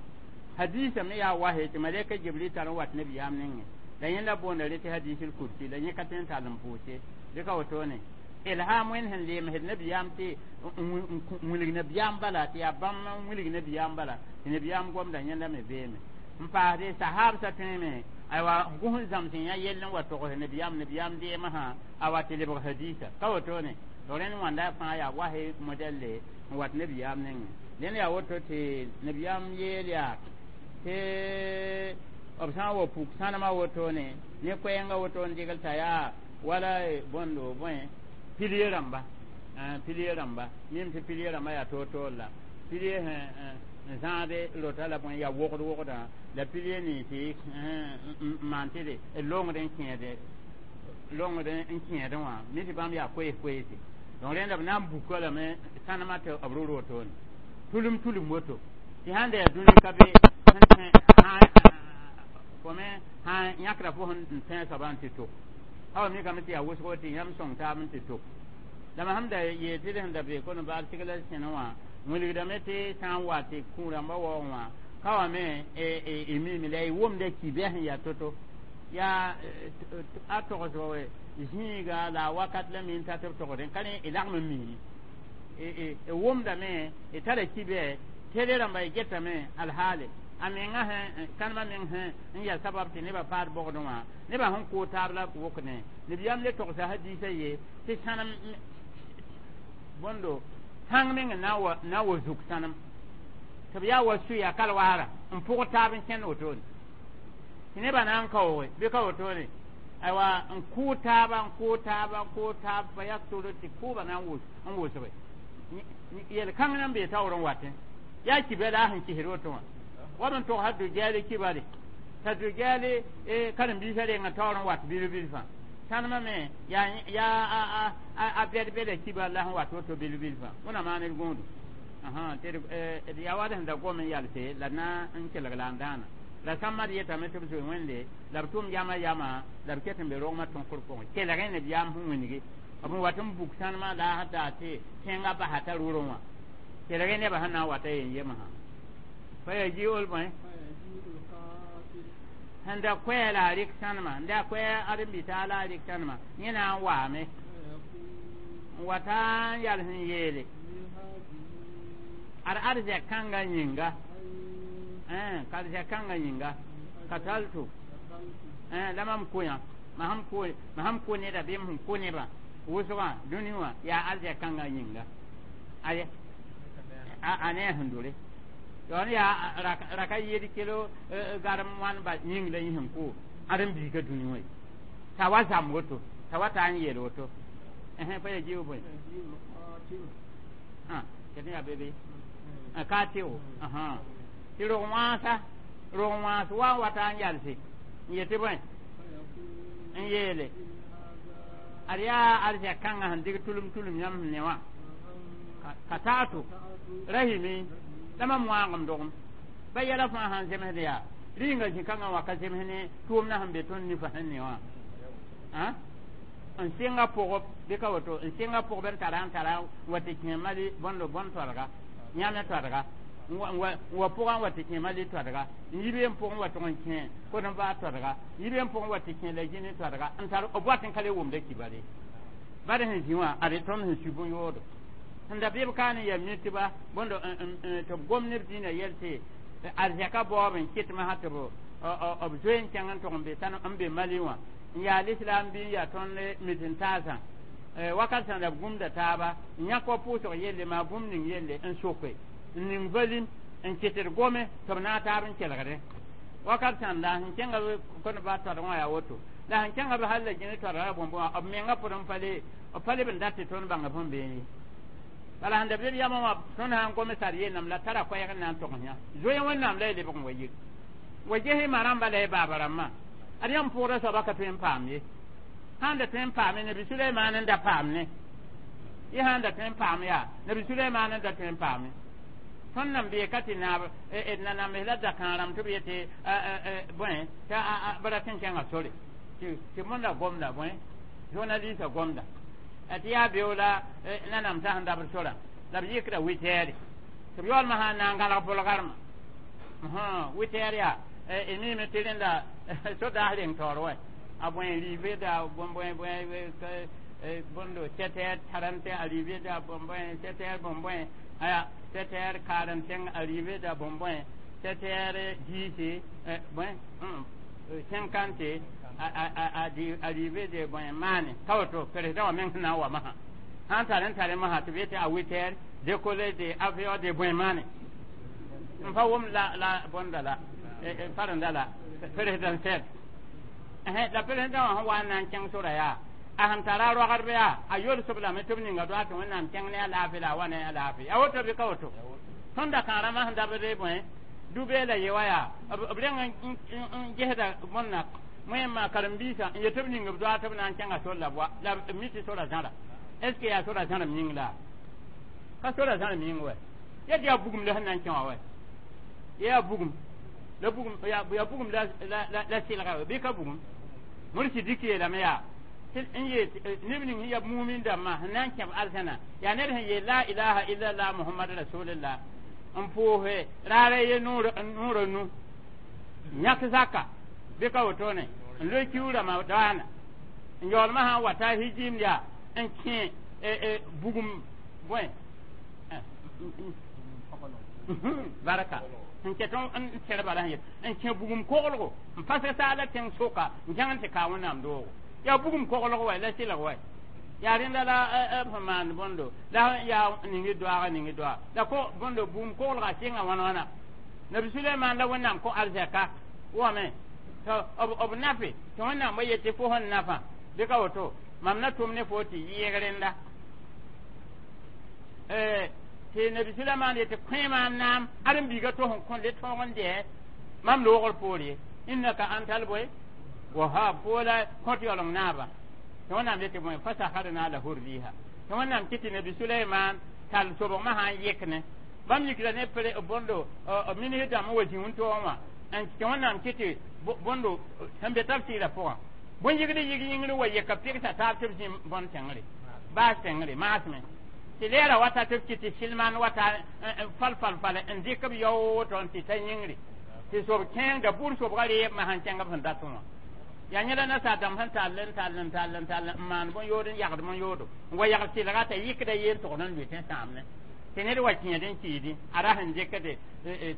hadisa me yaa wahe tɩ malɛka jibril tar n wat nabiyaam nengẽ la yẽnda boonda re tɩ hadisul kursi la yẽ ka tõe n tall n pʋʋse dɩ ka wotone ilham wẽnd sẽn leemsd nabiyaam tɩ n wilg nabiyaam bala tɩ yaa bãmb n wilg nabiyaam bala tɩ nabiyaam gomda yẽnda me beeme n paasde sahabsã tõeme aywa gʋs n zãms n yã yell n wa togs nabiyaam nabiyaam deemã a wa tɩ lebg hadisa ka wotone to rẽnd wãnda fãa yaa wahe modɛlle n wat nabiyaam nengẽ dẽnd yaa woto tɩ nabiyaam yeel yaa tɩ b sã n wa puk sãnemã wotone ne koɛɛngã woto n dɩgl t'a yaa wala bõndo bõe pilie rãmba pilie rãmba mim tɩ pilie rãmbã yaa toor-toor la pilie n zãade rota la bõe yaa wogd wogdã la pilie ninsi n maan tɩ d longd n kẽede longd n kẽedẽ wã mi tɩ bãmb yaa koees koeese donc rẽnda b na n buka lame sãnemã tɩ b ro wotone tulum tulum woto tɩ sãn da yaa dũni ka be fo me sã yãkra fo sẽn tẽ soabã n tɩ to awa mikame tɩ yaa wʋsgo tɩ yãmb sõng taab n tɩ to la mam sẽm da yeel tɩ d sẽn da be kon baal segla sẽne wã Wilgdame tɩ sã n wa tɩ kũ rãmbã waoog wã ka wa me y miime la y wʋmda kibɛ sẽn yaa to-to yaa a togsg zĩiga la a wakat la mi n tat b togsdẽ ka rẽ y lagm n miime y wʋmdame y tara kibɛ tele rãmba y getame alhaale a menga sẽn kãnemã meng sẽn n yaa sabab tɩ nebã paad bogdẽ wã nebã sẽn koo taab la wʋkdẽ nebiyaam le togsa hadiisã ye tɩ sãnem bõndo sãng meng n na na wa zuk sãnem tɩ b yaa wa suya kalwaara n pʋg taab n kẽnd wotone tɩ nebã na n kaooge bɩ ka wotone aywa n kʋʋ taaba n kʋʋ taaba n kʋʋ taab fa yaktoro tɩ kʋʋba na n wʋsge yel kãng na n bee taoor n watẽ yaa kibɛ la a sẽn kisd woto wã wa b n togsa dujaali kibale t'a dujaali karen-biisã renga taoor n wat bil-bil fãa sãnemã me yaa a bɛd-bɛda kiba la sẽn wat woto bil-bil fãa wẽna maan d gũudu tɩ d yaa wa d sẽn da gom n yalse la na n kelg la n dãana la sãmbã d yetame tɩ b zoe wẽnde la b tʋm yama yama la b ket n be rogmã tõkr pʋgẽ kelg ne b yaam sẽn wĩngi b n wat n buk sãnemã la a daa tɩ tẽngã basa t'a rʋrẽ wã kelg nebã sẽn na n wata yen yemsã fa ya ji'ul bõe sẽn da koɛɛ la a rɩk sãnemã n da koɛɛ ãdem-bi-taal la a rɩk sãnemã yẽ na n waame n wata n yal sẽn yeele ad arzɛk kãngã yĩnga ka arzɛk kãngã yĩnga kataltu la mam koyã ma sẽn ko neda bɩ m sẽn ko nebã wʋsgã dũni wã yaa arzɛk kãngã yĩnga aye a ne a sẽn dore yon yaa raka yed kilo garem wãn ba yĩng la yẽ sẽn ko ãdem-biigã dũni wã t'a wa zãmb woto t'a wa ta n yeel woto pa ya jiu bõe ket yaa be be ka tɩ-o tɩ rog wãasa rog wãas wa n wata n yalse n yetɩ bõe n yeele ad yaa arzɛk kãngã sẽn dɩg tulum tulum yãmb sẽn ne wã ka taato rahimi la mam wãagem dogem ba yɛla fãa sãn zemsd yaa rĩnga zĩ-kãngã wã ka zems ne tʋʋmdã sẽn be tõnd nifa sẽn ne wã n sɩnga pʋgb bɩ ka woto n sɩnga pʋgb n tara n tara wa tɩ kẽ mali bõndo bõn toadga yãme toadga n wa pʋgã n wa tɩ kẽ mali toadga n yi n pʋgẽ wa tʋg n kẽ kod-n-vaar toadga n yi n pʋgẽ wa tɩ kẽ la gĩne toadga n tar b wat n ka le wʋmda kibare bad sẽn zĩ wã ad tõnd sẽn su bõn-yoodo sẽn da bɩ b kaan n yaa mitba bõndo tɩ b gom neb dĩinã yɛl tɩ arzɛka baoob n kɩtmã sã tɩ b zoe n kẽng n tʋg n be n be mali wã n yaa lislam bɩ n yaa tõnd mit-n-taasã wakat sẽn da b gũmda taaba n yãk wa pʋʋsg yelle maa bũmb ning yelle n soke n ning valim n kɩtd gome tɩ b naag taab n kelgdẽ wakat sãnda sẽn kẽnga b kõn-ba toadg wã yaa woto la sẽn kẽnga b hal la gĩne toadga bõmb wã b menga pʋd n pa le b pa leb n dat tɩ tõnd bãnga bõn beene ye bala sẽn da bɩ b yamã wã tõnd sã n gome sar yennam la tara koɛɛg n na n togs yã zoe wẽnnaam la y lebg n wa yik wa ges ma rãmba la y baaba rãmbã ad yãmb pʋʋda soaba ka tõe n paam ye sãn da tõe n paame nabi Suleymaan n da paam ne y sãn da tõe n paam yaa nabi Suleymaan n da tõe n paame tõnd nan bee ka tɩ naab d nanambs la dakãag rãmb tɩ b yetɩ bõe t'a b rat n kẽnga sore tɩ mõnda gomda bõe journaliste gomda tɩ yaa beo la nanamsã sẽn dabd sorã la b yɩkda witɛɛre tɩ b yaoolmã sã n na n gãlg bʋlgarmã witɛɛr yaa y miime tɩ rẽnda sodaas reng taoor wa a bõe riive da bõe bõe bõndo sept heures trente arrivé da bõe sept heures bõe bõe aya sept heures quarante-cinq arrivé da bõe bõe sept heures dix bõe cinquante arrivé de bõe maane ka woto président wã meng sẽn na n wa masã sãn tar n tare masã tɩ b yetɩ a huit heures décollé de avion de bõe maane n pa wʋm la la bõnda la parenda la présidentielle la président wã sẽn wa n na n kẽng sora yaa a sẽn tara a roagdb yaa a yolsb lame tɩ b ninga doa tɩ wẽnnaam kẽng ne a laafɩ la a wa ne a laafɩ a woto bɩ ka woto tõnd da kãarãmã sẽn dabd bõe dubee la ye wa yaa b reng n gesda bõnna wẽnnaam karen-biisã n yet tɩ b ning b doa tɩ b na n kẽnga sor la b wa la b mi tɩ sora zãra est ce que yaa sora zãrem yĩng la ka sora zãrem yĩng wɛ yet yaa bugum la sẽn na n kẽ wã wɛ yaa bugum la bugum ya bugum la la la silga wɛ bɩ ka bugum mursi diki yeelame yaa N yeel neb ning sẽn ya mumin dãmbã sẽn na n kẽb arzãna yaa ned sẽn yeel la ilaha illallah Muhammad rasulillah n pʋʋse raara ye noorã nu yãk zaka bɩ ka wotone n loe kiu ramadaana n yaoolmã sã n wa ta hijim yaa n kẽ bugum bõe barka n ket n tẽr bala sẽn yet n kẽ bugum koglgo n pasg saala tẽng soka n kẽng n tɩ ka Wẽnnaam doogo yaa bugum koglg wa la sɩlg wa yaa rẽnda la b sẽn maand bõndo la yaa ning doaaga ning doa la ko bõndo bugum koglga sɩnga wãn wãna Nabi Sulaiman la Wẽnnaam kõ arzɛka wame tɩ b nafe tɩ Wẽnnaam wa yetɩ fo sẽn nafa bɩ ka woto mam na tʋm ne fo tɩ yɩɩg rẽnda tɩ Nabi Sulaiman yetɩ kõ maam naam ãren-biiga to sẽn kõ le tõog n dɛ mam loogr poor ye innaka antal bõe wahab fo la kõt yaooleng naaba tɩ Wẽnnaam yetɩ bõe fasaharna lahu riha tɩ Wẽnnaam kɩ tɩ Nabi Sulaiman tall sobgmã sã n yɩk ne bãmb yikra ne bõndo minis dãmb n wa zĩ wẽn-toogẽ wã n tɩ Wẽnnaam kɩ tɩ bõndo sẽn be tafsɩɩrã pʋgã bõn-yigd yig yĩngr wa yeka pɩgsa taab tɩ b zĩ bõn tẽngre baas tẽngre maasmẽ tɩ leera wata tɩ b kɩ tɩ silman wata fal fal fal n dɩk b yao woto n tɩ ta yĩngre tɩ sob kẽengda bur sobga reeb ma sẽn kẽng b sẽn datẽ wã yaa yẽla nasaar dãmb sẽn tall n tall n tall n tall n maan bõn-yood n yagd bõn-yoodo n wa yagd sɩlga t'a yɩkda yeen togd n lʋɩ tẽ sãamne tɩ ned wa kẽed n kɩɩdẽ a ra sẽn dɩkde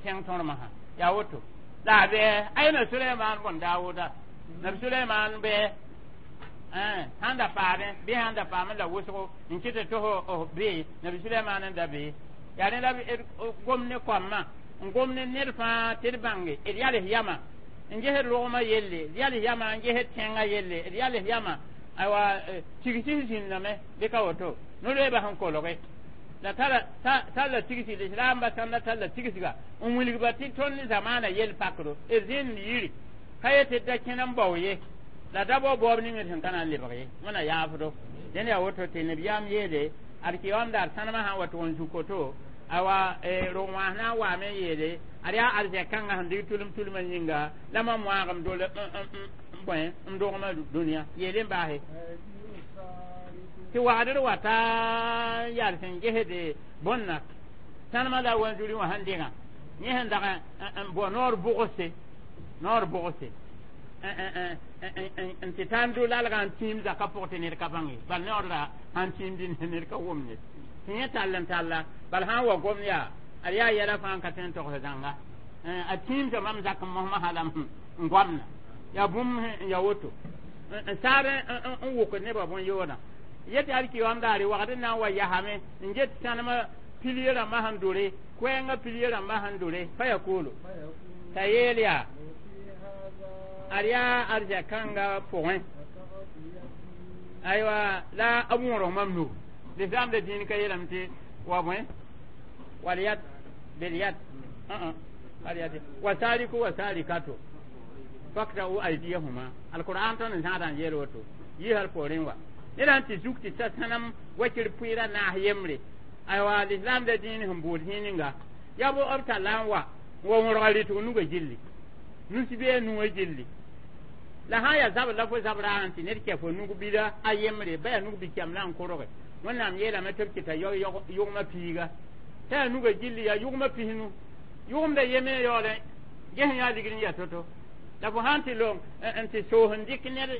tẽng tõrmã sã yaa woto la a bɩ ayna Sulaiman bõn Daawuda Nabi Sulaiman bɩ sãn da paadẽ bɩ sãn da paamẽ la wʋsgo n kɩt tɩ f bee Nabi Sulaiman n da bee yaa rẽ la d gom ne koamã n gom ne ned fãa tɩ d bãnge d yals yamã n gesd rogmã yelle d yals yamã n gesd tẽngã yelle d yals yamã aywa tigsi zĩndame bɩ ka woto no-loeebã sẽn kolge la talla tigsi lislaambã sãnda talla tigsga n wilgba tɩ tõnd zamaana yell pakdo d zĩnd yiri ka yetɩ da kẽn n bao ye la da bao baoob ning d sẽn ka na n lebg ye wẽna yaafdo dẽnd yaa woto tɩ nabiyaam yeele ad kɩ daar sãnemã sã n wa tʋg n zuk koto awa rog wãas na n waame n yeele ad yaa arzɛk-kãngã sẽn dig tulem tulmã yĩnga la mam wãagem dol bõe n dogmã dũniyã yeel n baase tɩ wagdr wata n yaa sẽn gesde bõnna sãnemã la wanzuri wã sẽn dɩgã yẽ sẽn dag n bao noor bʋgse noor bʋgse n tɩ taa n do lalgã n tĩim zaka pʋg tɩ ned ka bãng ye bal noor la sãn tĩimdi ned ka wʋm ye tɩ yẽ tall n talla bal sã n wa gom yaa ad yaa yɛla fãa n ka tõe n togs zãnga a tĩimsa mam zak n mosmã halam n goamna yaa bũmb n ya woto n saar n wʋkd nebã bõn-yoodã yetɩ alkiyoam daare wagd n na n wa yasame n get sãnemã pilie rãmbã sẽn dore koɛɛngã pilie rãmbã sẽn dore fa ya koolo t'a yeel yaa ad yaa arzɛk-kãngã pʋgẽ aywa la b wõrg mam nug lislaam da dĩin ka yeelame tɩ wa bõe walyad bilyad wasariku wasarikatu fakta'u aydiyahuma alquran tõnd n zãada n yeel woto yɩsal poorẽ wa ned sãn tɩ zuk tɩ ta sãnem wakir pʋɩɩra naas yembre aywa lislaam da dĩin sẽn bood zĩig ninga yaa bo b talla n wa n wa wõrga rɩtg nugã gilli nus bee nugã gilli la sã n yaa zabr la fo zabra n tɩ ned kɛ fo nug bila a yembre ba yaa nug bi-kɛm la n korge Wẽnnaam yeelame tɩ b kɩta yʋgmã piiga t'a yaa nugã gilli yaa yʋgmã pisnu yʋgemda yeme yaoolẽ ges yaa ligd n yaa to-to la fo sãn tɩ long n tɩ soos n dɩk ned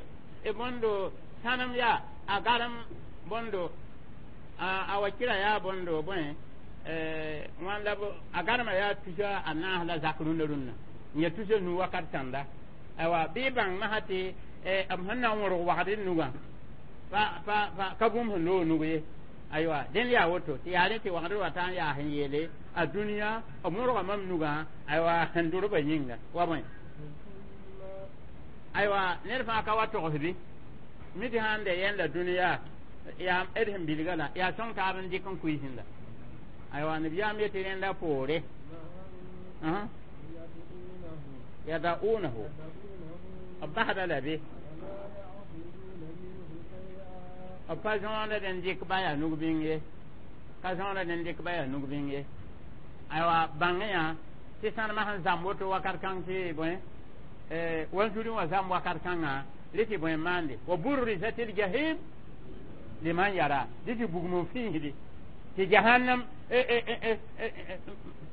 bõndo sãnem yaa a garem bõndo a wa kɩra yaa bõndo bõe wãn la a garmã yaa tusa a naas la zak rũndã rũndã n yaa tusa nu wakat sãnda aywa bɩ bãng masã tɩ b sẽn na n wõrg wagd nugã pa pa pa ka bũmb sẽn loog nug ye aywa dẽnd yaa woto tɩ yaa rẽ tɩ wagdr wata n yaa sẽn yeele a dũniyã b wõrga mam nugã aywa sẽn dʋrbã yĩnga wa bõe aywa ned fãa ka wa togsbɩ mi tɩ sãn da yẽnda dũniyã yaa d sẽn bilga la yaa sõng taab n dɩk n kuiisẽnda aywa nabiyaam yetɩ rẽnda poore yada'unahu b basda la be b pa zõoda n dɩk ba yaa nug bĩng ye ka zõoda n dɩk ba yaa nug bĩng ye aywa bãngẽ yã tɩ sãnemã sẽn zãmb woto wakat kãng tɩ bõe wanzuri wã zãmb wakat kãngã Rɩ tɩ bõe n maande wa burrizat ljahim liman yara dɩ tɩ bugum n fiisdi tɩ jahannam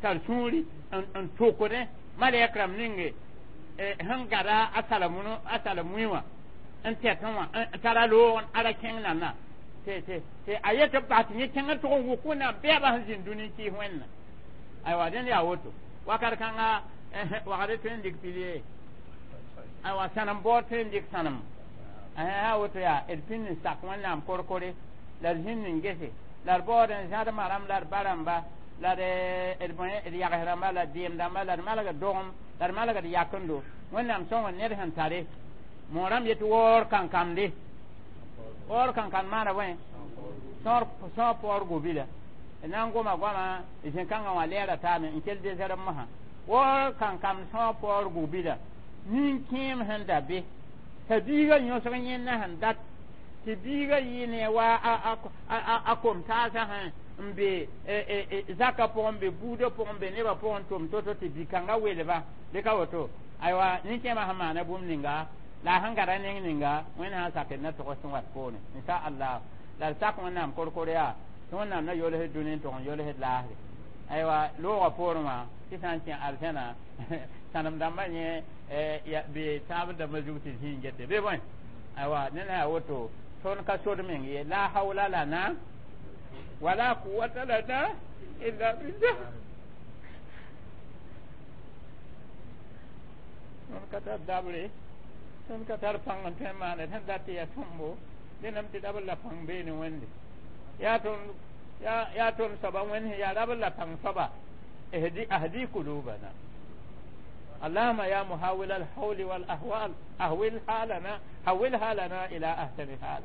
tar sũuri n tokdẽ malɛk rãmb ninge sẽn gada a sala-mui wã n tɛtẽ wã n tara loog a ra kẽng nana tɩ a yet b bas tɩ yẽ kẽngr tʋg n wʋk wẽnnaam bɛɛbã sẽn zĩnd dũni n kɩɩs wẽnna aywa dẽnd yaa woto wakat kãnga wagd tõe n dɩk pilier aywa sãnem baood tõe n dɩk sãnem a woto yaa d pĩnd n sak wẽnnaam korkore la d zĩnd n gese la d baood n zãdmã rãmb la d ba rãmba la d d yags rãmba la d deem dãmba la d malgd dogem la d malgd yakendo wẽnnaam sõng ned sẽn tare moorãmb yetɩ waoor kankande waoor kankand maana bõe sõor paoor gobila na n goma goama zẽ-kãngã wã lɛɛra taame n kell dezɛrb mosã waoor kankam sõor paoor gobila nin-kẽem sẽn da be t'a biigã yõsg yẽnna sẽn dat tɩ biigã yɩ ne wa a kom-taasã sẽn n be zaka pʋgẽ n be buudã pʋgẽ n be nebã pʋgẽ tʋm to-to tɩ bi-kãngã welba dɩ ka woto aywa nin-kẽemã sẽn maana bũmb ninga la a sẽn gada neng ninga wẽnd sã n sakd na togs sẽn wat poorẽ insha allah la d sak wẽnnaam korkor yaa tɩ wẽnnaam na yolsd dũni n tʋg n yolsd laasre aywa loogã poorẽ wã tɩ sã n kẽ arzẽna sãnem dãmbã yẽ be taab dãmbã zug tɩ zĩig gete be bõe aywa ned yaa woto tõnd ka sod meng ye la hawla lana wala quwwata lana illa billah tõnd ka tar dabre tõnd ka tar pãng n tõe n maane sẽn dat tɩ yaa sõmbo dẽnam tɩ rabl la pãng beene wẽnde yaa tõnd yaa tõnd soaba wẽnd sẽn yaa rabl la pãng soaba ahdi kulubana اللهم يا محاول الحول والأهوال أهول حالنا حول حالنا إلى أحسن حال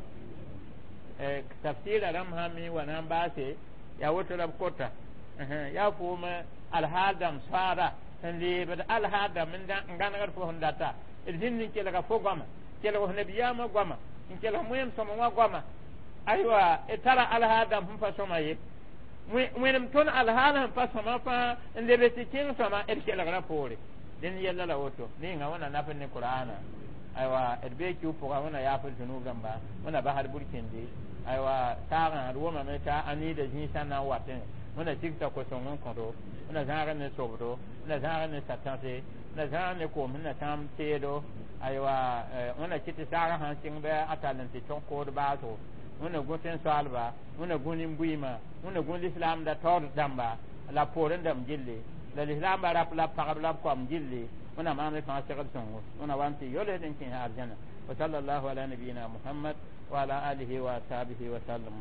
تفسير رمهمي ونام باسي يا وترب كوتا يا فوم الحال دم سارة sẽn leebd alhaadame n gãnegd fo sẽn data d zĩnd n kelga fo goama kelg f nabiyaamã goama n kelg moeem sõma wã goama aywa d tara alhaadame sẽn pa sõma ye wẽnem tõnd alhaal sẽn pa sõma fãa n leb tɩ kẽng sõma d kelgrã poore dẽnd yɛlla la woto ninga wẽna naf ne qur'ana aywa d bee kiu pʋga wẽna yaafd zunub rãmba wẽna basd burkĩndi aywa saagã d wʋmame t'a a niida zĩisã na n watẽ wẽna tigta ko-sõng n kõdo wẽna zãag ne sobdo wẽna zãag ne satãse wẽna zãag ne koom sẽn na tãam teedo aywa wẽna kɩ tɩ saagã sãn sɩng bɩ a tall n tɩ tõg kood baasgo wẽna gũ tẽn-soaalba wẽna gũ nin-buiimã wẽna gũ lislaamda taood dãmba la poorẽ dãmb gilli la lislaambã rap la pagb la b koam gilli wẽna maam fãa segd sõngo wẽna wa n tɩ yolsd n kẽes arzãna wa sallallahu ala nabiyina muhammad wa ala alihi wa ashabihi wa sallam.